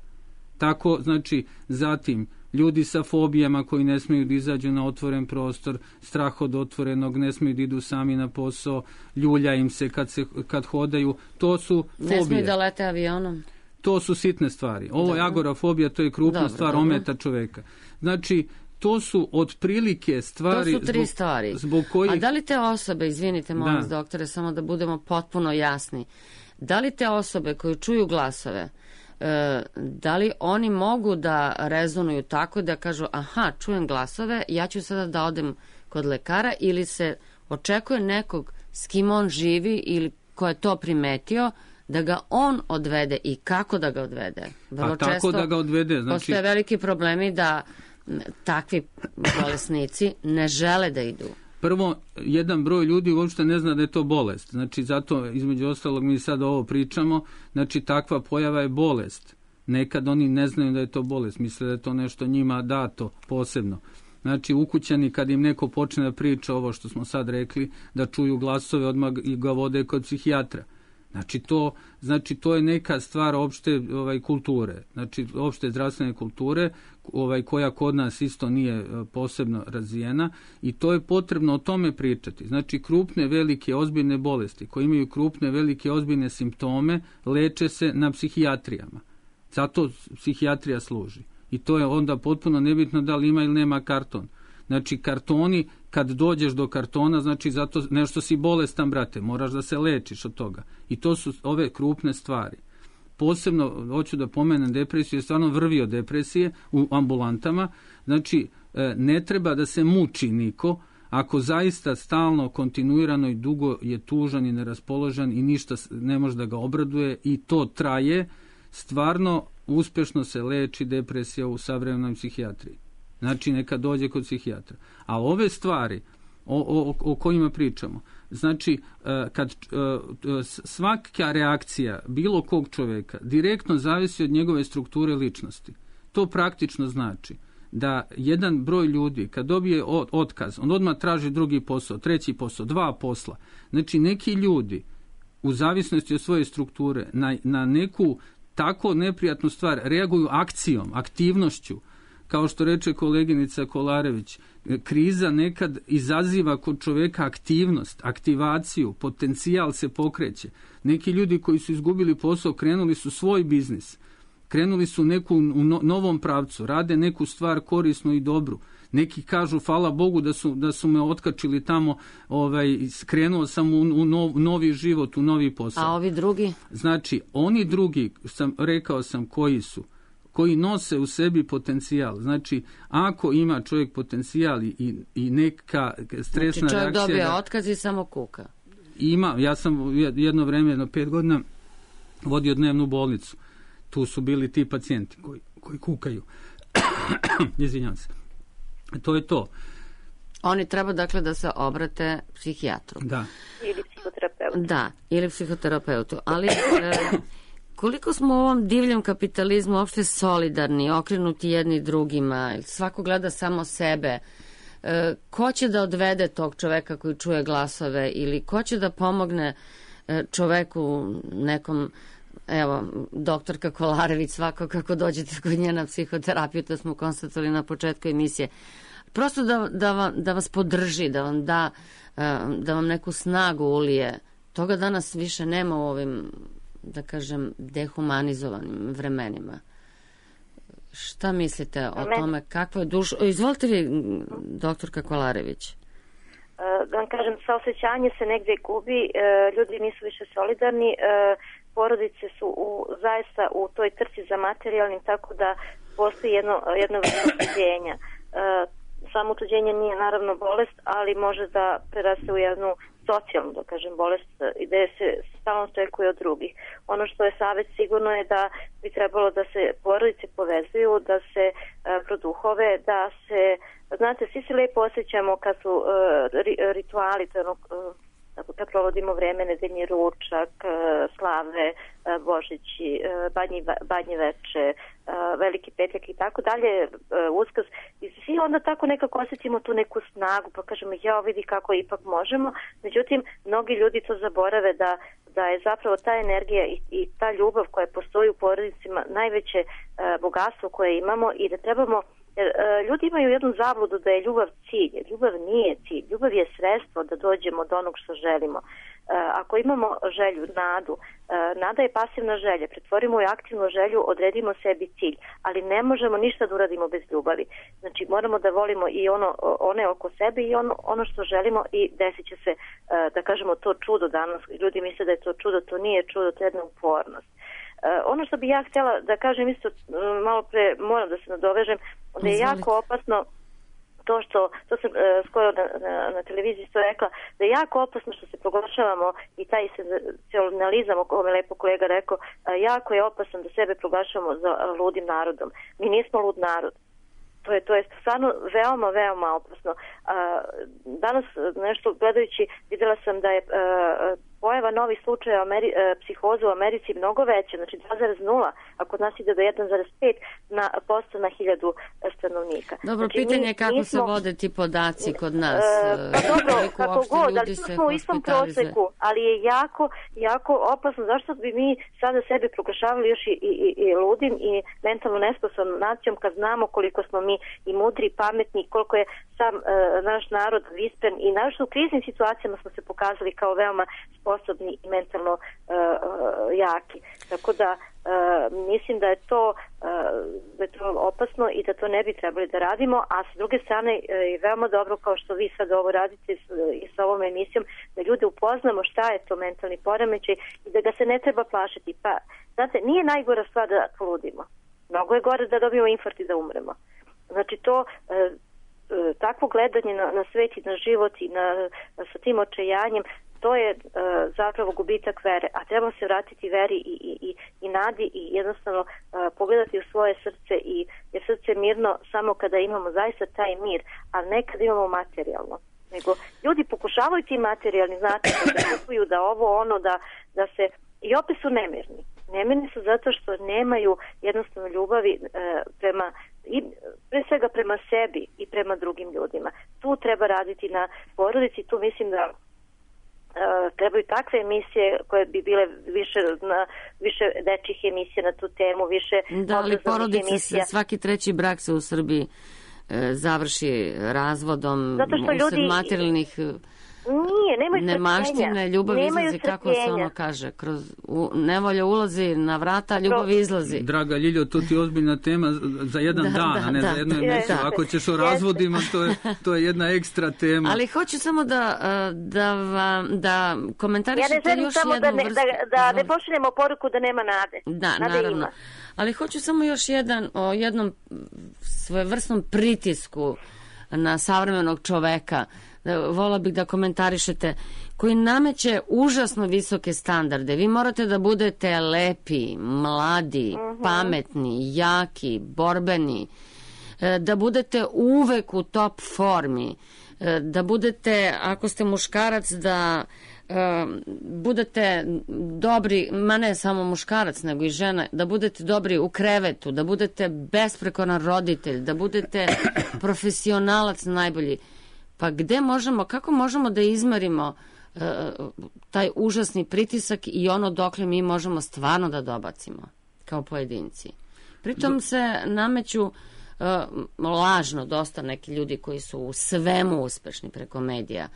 Tako, znači, zatim, ljudi sa fobijama koji ne smiju da izađu na otvoren prostor, strah od otvorenog, ne smiju da idu sami na posao, ljulja im se kad, se, kad hodaju, to su fobije. Ne smiju da lete avionom. To su sitne stvari. Ovo je agorafobija, to je krupna dobro, stvar, dobro. Ometa čoveka. Znači, to su otprilike stvari... To su tri zbog, stvari. Zbog kojih... A da li te osobe, izvinite molim vas doktore, samo da budemo potpuno jasni, da li te osobe koje čuju glasove, e, da li oni mogu da rezonuju tako da kažu aha, čujem glasove, ja ću sada da odem kod lekara, ili se očekuje nekog s kim on živi ili ko je to primetio, da ga on odvede i kako da ga odvede. Vrlo A tako često da ga odvede, znači... postoje veliki problemi da takvi bolesnici ne žele da idu. Prvo, jedan broj ljudi uopšte ne zna da je to bolest. Znači, zato, između ostalog, mi sad ovo pričamo, znači, takva pojava je bolest. Nekad oni ne znaju da je to bolest, misle da je to nešto njima dato posebno. Znači, ukućani, kad im neko počne da priča ovo što smo sad rekli, da čuju glasove, odmah i ga vode kod psihijatra. Znači to, znači to je neka stvar opšte ovaj kulture, znači opšte zdravstvene kulture, ovaj koja kod nas isto nije posebno razvijena i to je potrebno o tome pričati. Znači krupne, velike, ozbiljne bolesti koje imaju krupne, velike, ozbiljne simptome leče se na psihijatrijama. Zato psihijatrija služi. I to je onda potpuno nebitno da li ima ili nema karton. Znači kartoni, kad dođeš do kartona, znači zato nešto si bolestan, brate, moraš da se lečiš od toga. I to su ove krupne stvari. Posebno, hoću da pomenem depresiju, je stvarno vrvi od depresije u ambulantama. Znači, ne treba da se muči niko, ako zaista stalno, kontinuirano i dugo je tužan i neraspoložen i ništa ne može da ga obraduje i to traje, stvarno uspešno se leči depresija u savremenoj psihijatriji. Znači, neka dođe kod psihijatra. A ove stvari o, o, o kojima pričamo, znači, kad svaka reakcija bilo kog čoveka direktno zavisi od njegove strukture ličnosti. To praktično znači da jedan broj ljudi, kad dobije otkaz, on odmah traži drugi posao, treći posao, dva posla. Znači, neki ljudi, u zavisnosti od svoje strukture, na, na neku tako neprijatnu stvar reaguju akcijom, aktivnošću. Kao što reče koleginica Kolarević, kriza nekad izaziva kod čoveka aktivnost, aktivaciju, potencijal se pokreće. Neki ljudi koji su izgubili posao krenuli su svoj biznis, krenuli su neku u novom pravcu, rade neku stvar korisnu i dobru. Neki kažu, hvala Bogu da su, da su me otkačili tamo, ovaj, krenuo sam u, u nov, novi život, u novi posao. A ovi drugi? Znači, oni drugi, sam, rekao sam koji su, koji nose u sebi potencijal. Znači, ako ima čovjek potencijal i, i neka stresna znači, čovjek reakcija... dobije da, otkaz i samo kuka. Ima. Ja sam jedno vreme, jedno pet godina, vodio dnevnu bolnicu. Tu su bili ti pacijenti koji, koji kukaju. Izvinjam se. To je to. Oni treba, dakle, da se obrate psihijatru. Da. Ili psihoterapeutu. Da, ili psihoterapeutu. Ali... E, koliko smo u ovom divljem kapitalizmu uopšte solidarni, okrenuti jedni drugima, svako gleda samo sebe, e, ko će da odvede tog čoveka koji čuje glasove ili ko će da pomogne e, čoveku nekom, evo, doktorka Kolarević svako kako dođete kod nje na psihoterapiju, to smo konstatovali na početku emisije, prosto da, da, vam, da vas podrži, da vam da, da vam neku snagu ulije. Toga danas više nema u ovim, da kažem, dehumanizovanim vremenima. Šta mislite o tome? Kakvo je dušo... Izvolite vi, doktorka Kolarević. Da vam kažem, saosećanje se negdje gubi, ljudi nisu više solidarni, porodice su u, zaista u toj trci za materijalnim, tako da postoji jedno, jedno vrlo utuđenja. Samo utuđenje nije naravno bolest, ali može da preraste u jednu socijalnu, da kažem, bolest i da se stalno očekuje od drugih. Ono što je savjet sigurno je da bi trebalo da se porodice povezuju, da se uh, produhove, da se, znate, svi se lijepo osjećamo kad su uh, ri, rituali, to je ono, uh, kad provodimo vreme, nedeljni ručak, slave, Božići, badnji, badnje veče, veliki petak i tako dalje, Uskrs. I svi onda tako nekako osjetimo tu neku snagu, pa kažemo, ja vidi kako ipak možemo. Međutim, mnogi ljudi to zaborave da, da je zapravo ta energija i, i ta ljubav koja postoji u porodicima najveće bogatstvo koje imamo i da trebamo. Jer ljudi imaju jednu zabludu da je ljubav cilj. Ljubav nije cilj. Ljubav je sredstvo da dođemo do onog što želimo. Ako imamo želju, nadu, nada je pasivna želja. Pretvorimo je aktivnu želju, odredimo sebi cilj. Ali ne možemo ništa da uradimo bez ljubavi. Znači moramo da volimo i ono, one oko sebe i ono, ono što želimo i desit će se, da kažemo, to čudo danas. Ljudi misle da je to čudo, to nije čudo, to je jedna upornost. Uh, ono što bi ja htjela da kažem isto, uh, malo pre moram da se nadovežem, da je jako opasno to što, to sam uh, skoro na, na, na televiziji isto rekla, da je jako opasno što se proglašavamo i taj senzacionalizam o kome lepo kolega rekao, uh, jako je opasno da sebe proglašavamo za uh, ludim narodom. Mi nismo lud narod. To je, to je stvarno veoma, veoma opasno. A, danas nešto gledajući vidjela sam da je a, pojava novih slučaja Ameri, a, psihoze u Americi mnogo veća, znači dva zarez nula, a kod nas ide do jedan zarez pet na posto na hiljadu stanovnika. Dobro, znači, pitanje je kako nismo, se vode ti podaci kod nas. A, pa dobro, kako god, ali smo u istom proseku, ali je jako, jako opasno. Zašto bi mi sada sebe proglašavali još i, i, i ludim i mentalno nesposobnom nacijom kad znamo koliko smo mi i mudri, i pametni, koliko je sam uh, naš narod vispren i naravno u kriznim situacijama smo se pokazali kao veoma sposobni i mentalno uh, uh, jaki. Tako da uh, mislim da je to, uh, da je to opasno i da to ne bi trebali da radimo, a s druge strane uh, je veoma dobro, kao što vi sad ovo radite s, i sa ovom emisijom, da ljude upoznamo šta je to mentalni poremećaj i da ga se ne treba plašiti. Pa, znate, nije najgora stvar da poludimo. Mnogo je gore da dobijemo infarkt i da umremo. Znači to, e, e, takvo gledanje na, na svet i na život i na, na, sa tim očajanjem, to je e, zapravo gubitak vere. A treba se vratiti veri i, i, i, i nadi i jednostavno e, pogledati u svoje srce, i, jer srce je mirno samo kada imamo zaista taj mir, a ne kada imamo materijalno. Nego ljudi pokušavaju ti materijalni, znate, da kupuju, da ovo ono, da, da se, i opet su nemirni. Nemirni su zato što nemaju jednostavno ljubavi e, prema, i pre svega prema sebi i prema drugim ljudima. Tu treba raditi na porodici, tu mislim da e, trebaju takve emisije koje bi bile više, na, više dečjih emisija na tu temu, više da, ali porodice, se, svaki treći brak se u Srbiji e, završi razvodom usled materijalnih... Nije, nemaju nemaštine, ljubav nemaju izlazi, srpljenja. Kako se ono kaže, kroz u, nevolja ulazi na vrata, ljubav izlazi. Draga Ljiljo, to ti je ozbiljna tema za jedan da, dan, da, a ne da, za jednu emisiju. Ako ćeš o razvodima, to je, to je jedna ekstra tema. Ali hoću samo da, da, vam, da komentarišete još jednu vrstu. Ja ne želim samo da ne, da, da ne pošaljemo poruku da nema nade. Da, nade naravno. Ima. Ali hoću samo još jedan, o jednom svojevrsnom pritisku na savremenog čoveka. Vola bih da komentarišete, koji nameće užasno visoke standarde. Vi morate da budete lepi, mladi, uh-huh. pametni, jaki, borbeni, da budete uvek u top formi, da budete, ako ste muškarac, da budete dobri, ma ne samo muškarac, nego i žena, da budete dobri u krevetu, da budete besprekoran roditelj, da budete profesionalac najbolji. Pa gde možemo, kako možemo da izmerimo uh, taj užasni pritisak i ono dokle mi možemo stvarno da dobacimo kao pojedinci? Pritom se nameću uh, lažno dosta neki ljudi koji su u svemu uspešni preko medija,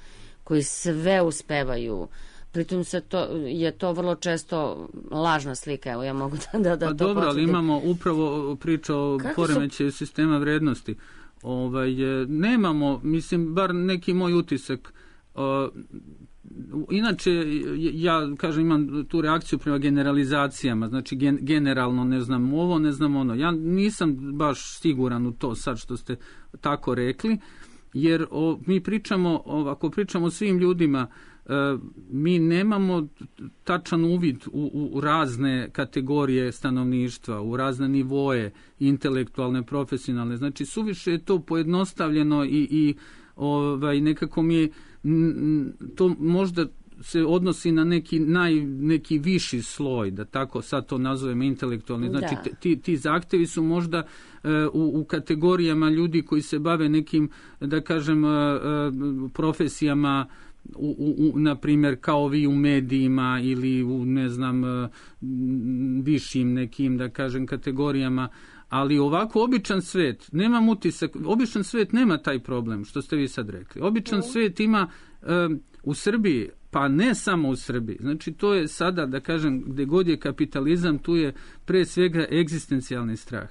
koji sve uspevaju. Pritom se to, je to vrlo često lažna slika. Evo, ja mogu da, da, da pa to dobro, potvrdim. Ali imamo upravo priča o poremećaju su... sistema vrednosti. Ovaj, nemamo, mislim, bar neki moj utisak. O, inače, ja, kažem, imam tu reakciju prema generalizacijama. Znači, gen, generalno ne znam ovo, ne znam ono. Ja nisam baš siguran u to sad što ste tako rekli. Jer o, mi pričamo, o, ako pričamo o svim ljudima, e, mi nemamo tačan uvid u, u, u razne kategorije stanovništva, u razne nivoje intelektualne, profesionalne. Znači, suviše je to pojednostavljeno i, i ovaj, nekako mi je, m, to možda se odnosi na neki naj, neki viši sloj, da tako sad to nazovemo intelektualni. Znači, da. ti, ti zahtevi su možda uh, u, u kategorijama ljudi koji se bave nekim, da kažem, uh, profesijama, u, u, u, na primjer, kao vi u medijima ili u, ne znam, uh, višim nekim, da kažem, kategorijama. Ali ovako običan svet, nemam utisak, običan svet nema taj problem, što ste vi sad rekli. Običan mm. svet ima uh, u Srbiji, pa ne samo u Srbiji. Znači, to je sada, da kažem, gde god je kapitalizam, tu je pre svega egzistencijalni strah.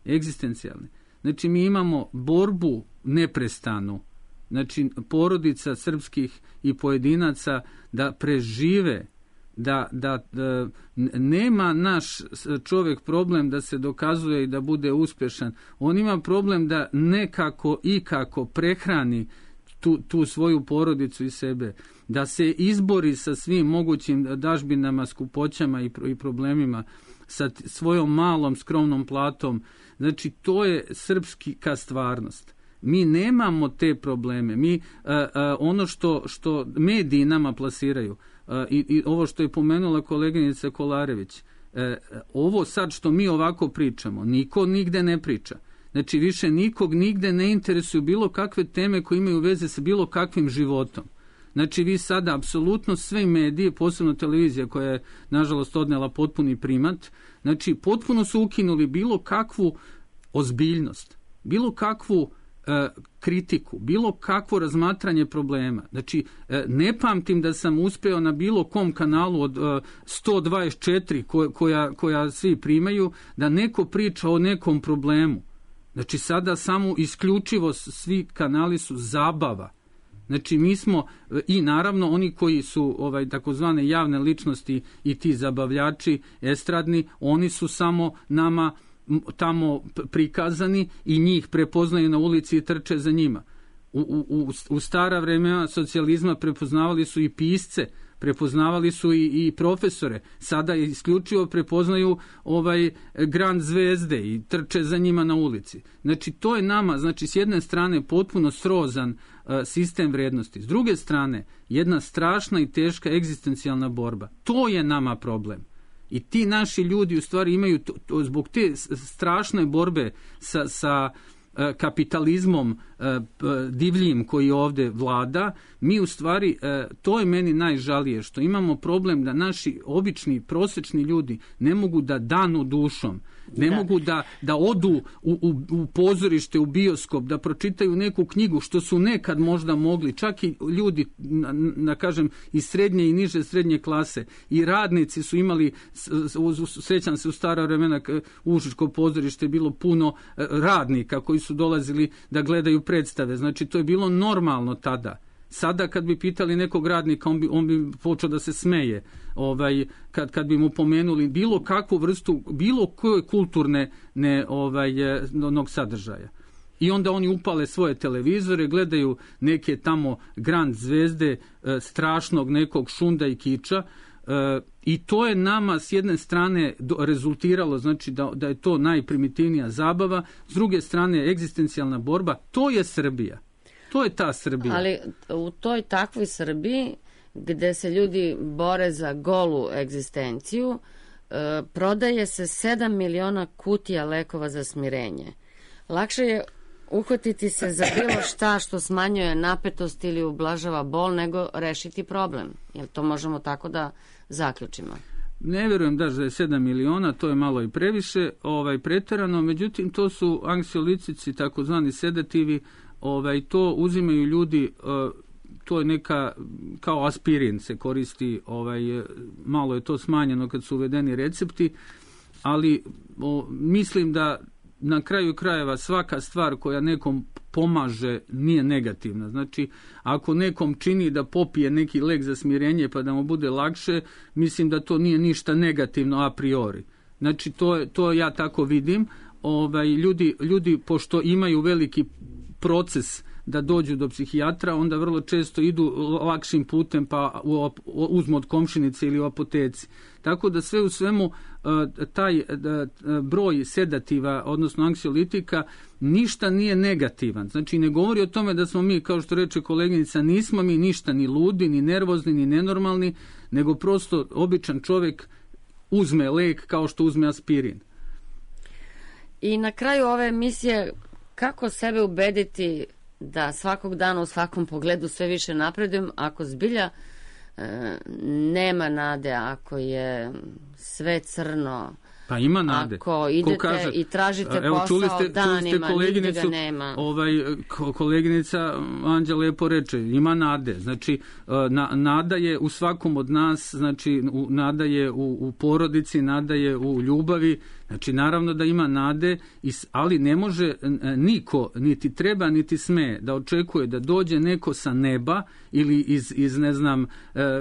Egzistencijalni. Znači, mi imamo borbu neprestanu. Znači, porodica srpskih i pojedinaca da prežive, da, da, da nema naš čovjek problem da se dokazuje i da bude uspešan. On ima problem da nekako ikako prehrani Tu, tu svoju porodicu i sebe, da se izbori sa svim mogućim dažbinama, skupoćama i, i problemima, sa svojom malom skromnom platom. Znači, to je srpska stvarnost. Mi nemamo te probleme. Mi a, a, ono što, što mediji nama plasiraju, a, i, i ovo što je pomenula koleginica Kolarević, a, ovo sad što mi ovako pričamo, niko nigde ne priča. Znači, više nikog nigde ne interesuju bilo kakve teme koje imaju veze sa bilo kakvim životom. Znači, vi sada apsolutno sve medije, posebno televizija koja je, nažalost, odnela potpuni primat, znači, potpuno su ukinuli bilo kakvu ozbiljnost, bilo kakvu e, kritiku, bilo kakvo razmatranje problema. Znači, e, ne pamtim da sam uspeo na bilo kom kanalu od e, sto dvadeset četiri ko, koja, koja svi primaju, da neko priča o nekom problemu. Znači, sada samo isključivo svi kanali su zabava. Znači, mi smo, i naravno oni koji su ovaj takozvane javne ličnosti i ti zabavljači estradni, oni su samo nama tamo prikazani i njih prepoznaju na ulici i trče za njima. U, u, u stara vremena socijalizma prepoznavali su i pisce, prepoznavali su i, i profesore, sada isključivo prepoznaju ovaj grand zvezde i trče za njima na ulici. Znači, to je nama, znači, s jedne strane potpuno srozan uh, sistem vrednosti, s druge strane jedna strašna i teška egzistencijalna borba. To je nama problem. I ti naši ljudi u stvari imaju, to, to, zbog te strašne borbe sa, sa kapitalizmom divljim koji ovde vlada, mi u stvari, to je meni najžalije, što imamo problem da naši obični, prosečni ljudi ne mogu da danu dušom, ne da. mogu da, da odu u, u, u pozorište, u bioskop, da pročitaju neku knjigu, što su nekad možda mogli, čak i ljudi, na, na kažem, iz srednje i niže srednje klase, i radnici su imali, srećam se u stara vremena, u Užičko pozorište je bilo puno radnika koji su dolazili da gledaju predstave, znači to je bilo normalno tada. Sada kad bi pitali nekog radnika, on bi, on bi počeo da se smeje, ovaj, kad, kad bi mu pomenuli bilo kakvu vrstu, bilo koje kulturne ne, ovaj, onog sadržaja. I onda oni upale svoje televizore, gledaju neke tamo grand zvezde, strašnog nekog šunda i kiča, E, I to je nama s jedne strane do, rezultiralo, znači da, da je to najprimitivnija zabava, s druge strane egzistencijalna borba, to je Srbija. To je ta Srbija. Ali u toj takvoj Srbiji, gde se ljudi bore za golu egzistenciju, e, prodaje se sedam miliona kutija lekova za smirenje. Lakše je uhvatiti se za bilo šta što smanjuje napetost ili ublažava bol, nego rešiti problem. Jel to možemo tako da zaključimo? Ne verujem da je sedam miliona, to je malo i previše, ovaj, preterano, međutim to su anksiolitici, takozvani sedativi, ovaj, to uzimaju ljudi, to je neka, kao aspirin se koristi, ovaj, malo je to smanjeno kad su uvedeni recepti, ali o, mislim da na kraju krajeva svaka stvar koja nekom pomaže nije negativna. Znači, ako nekom čini da popije neki lek za smirenje pa da mu bude lakše, mislim da to nije ništa negativno a priori. Znači, to, je, to ja tako vidim. Ovaj, ljudi, ljudi, pošto imaju veliki proces da dođu do psihijatra, onda vrlo često idu lakšim putem pa uzmu od komšinice ili u apoteci. Tako da sve u svemu taj broj sedativa, odnosno anksiolitika, ništa nije negativan. Znači ne govori o tome da smo mi, kao što reče koleginica, nismo mi ništa ni ludi, ni nervozni, ni nenormalni, nego prosto običan čovjek uzme lek kao što uzme aspirin. I na kraju ove emisije, kako sebe ubediti da svakog dana u svakom pogledu sve više napredujem, ako zbilja e, nema nade, ako je sve crno, pa ima nade. Ako idete kaže, i tražite evo, posao čuli ste, danima, nigde ga nema. Ovaj, koleginica Anđa lepo reče, ima nade. Znači, na, nada je u svakom od nas, znači, u, nada je u, u porodici, nada je u ljubavi. Znači, naravno da ima nade, ali ne može niko, niti treba, niti sme da očekuje da dođe neko sa neba ili iz, iz ne znam,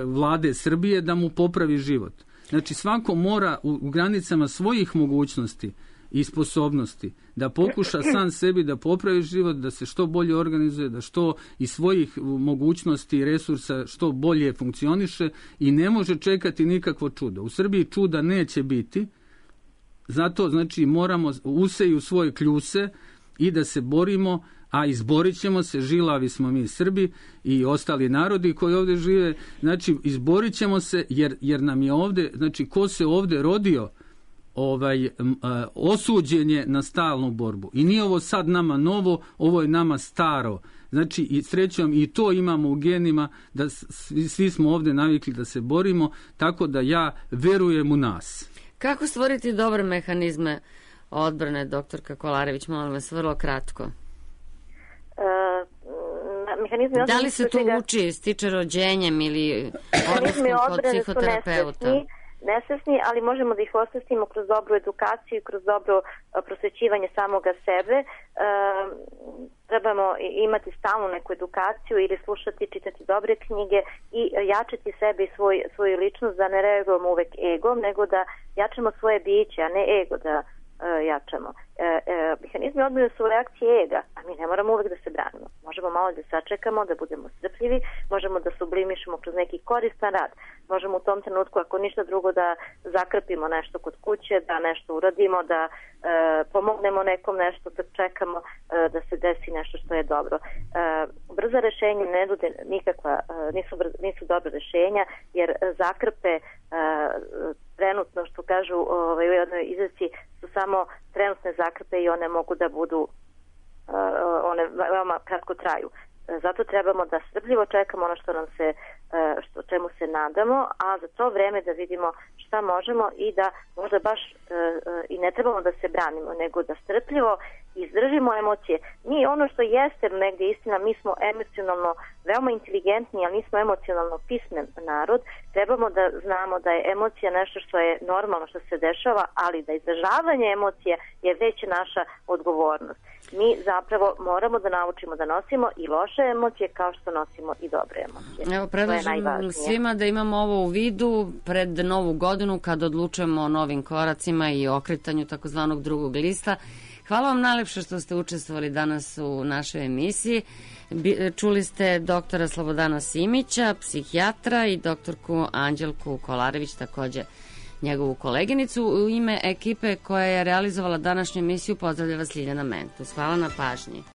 vlade Srbije da mu popravi život. Znači, svako mora u, u granicama svojih mogućnosti i sposobnosti da pokuša sam sebi da popravi život, da se što bolje organizuje, da što iz svojih mogućnosti i resursa što bolje funkcioniše i ne može čekati nikakvo čudo. U Srbiji čuda neće biti, zato znači moramo useju svoje kljuse i da se borimo, a izborit ćemo se, žilavi smo mi Srbi i ostali narodi koji ovdje žive, znači izborit ćemo se jer, jer nam je ovdje, znači ko se ovdje rodio, ovaj, osuđen je na stalnu borbu. I nije ovo sad nama novo, ovo je nama staro. Znači i srećom i to imamo u genima, da svi, svi smo ovdje navikli da se borimo, tako da ja verujem u nas. Kako stvoriti dobre mehanizme odbrane, doktorka Kolarević, molim vas, vrlo kratko? Uh, mehanizmi da li se to čega... uči, stiče rođenjem ili odnoskom kod psihoterapeuta? Nesvesni, ali možemo da ih osvestimo kroz dobru edukaciju i kroz dobro prosvećivanje samoga sebe. E, trebamo imati stalnu neku edukaciju ili slušati, čitati dobre knjige i jačati sebe i svoj, svoju ličnost, da ne reagujemo uvek egom, nego da jačamo svoje biće, a ne ego da e, jačamo. E, e, mehanizmi odbrane su reakcije ega, a mi ne moramo uvek da se branimo. Možemo malo da sačekamo, da budemo strpljivi, možemo da sublimišemo kroz neki koristan rad. Možemo u tom trenutku, ako ništa drugo, da zakrpimo nešto kod kuće, da nešto uradimo, da e, pomognemo nekom nešto, da čekamo e, da se desi nešto što je dobro. E, brza rešenja ne nude nikakva, e, nisu, brz, nisu dobra rešenja, jer zakrpe e, trenutno, što kažu ovaj, u jednoj izreci, su samo trenutne zakrpe i one mogu da budu, e, one veoma kratko traju. Zato trebamo da strpljivo čekamo ono što nam se, što, čemu se nadamo, a za to vreme da vidimo šta možemo i da možda baš i ne trebamo da se branimo, nego da strpljivo izdržimo emocije. Mi ono što jeste negdje istina, mi smo emocionalno veoma inteligentni, ali nismo emocionalno pismen narod. Trebamo da znamo da je emocija nešto što je normalno, što se dešava, ali da izražavanje emocija je već naša odgovornost. Mi zapravo moramo da naučimo da nosimo i loše emocije kao što nosimo i dobre emocije. Evo, predlažem svima da imamo ovo u vidu pred novu godinu kad odlučujemo o novim koracima i okretanju takozvanog drugog lista. Hvala vam najlepše što ste učestvovali danas u našoj emisiji. Čuli ste doktora Slobodana Simića, psihijatra, i doktorku Anđelku Kolarević, takođe njegovu koleginicu. U ime ekipe koja je realizovala današnju emisiju pozdravlja vas Ljiljana Mentus. Hvala na pažnji.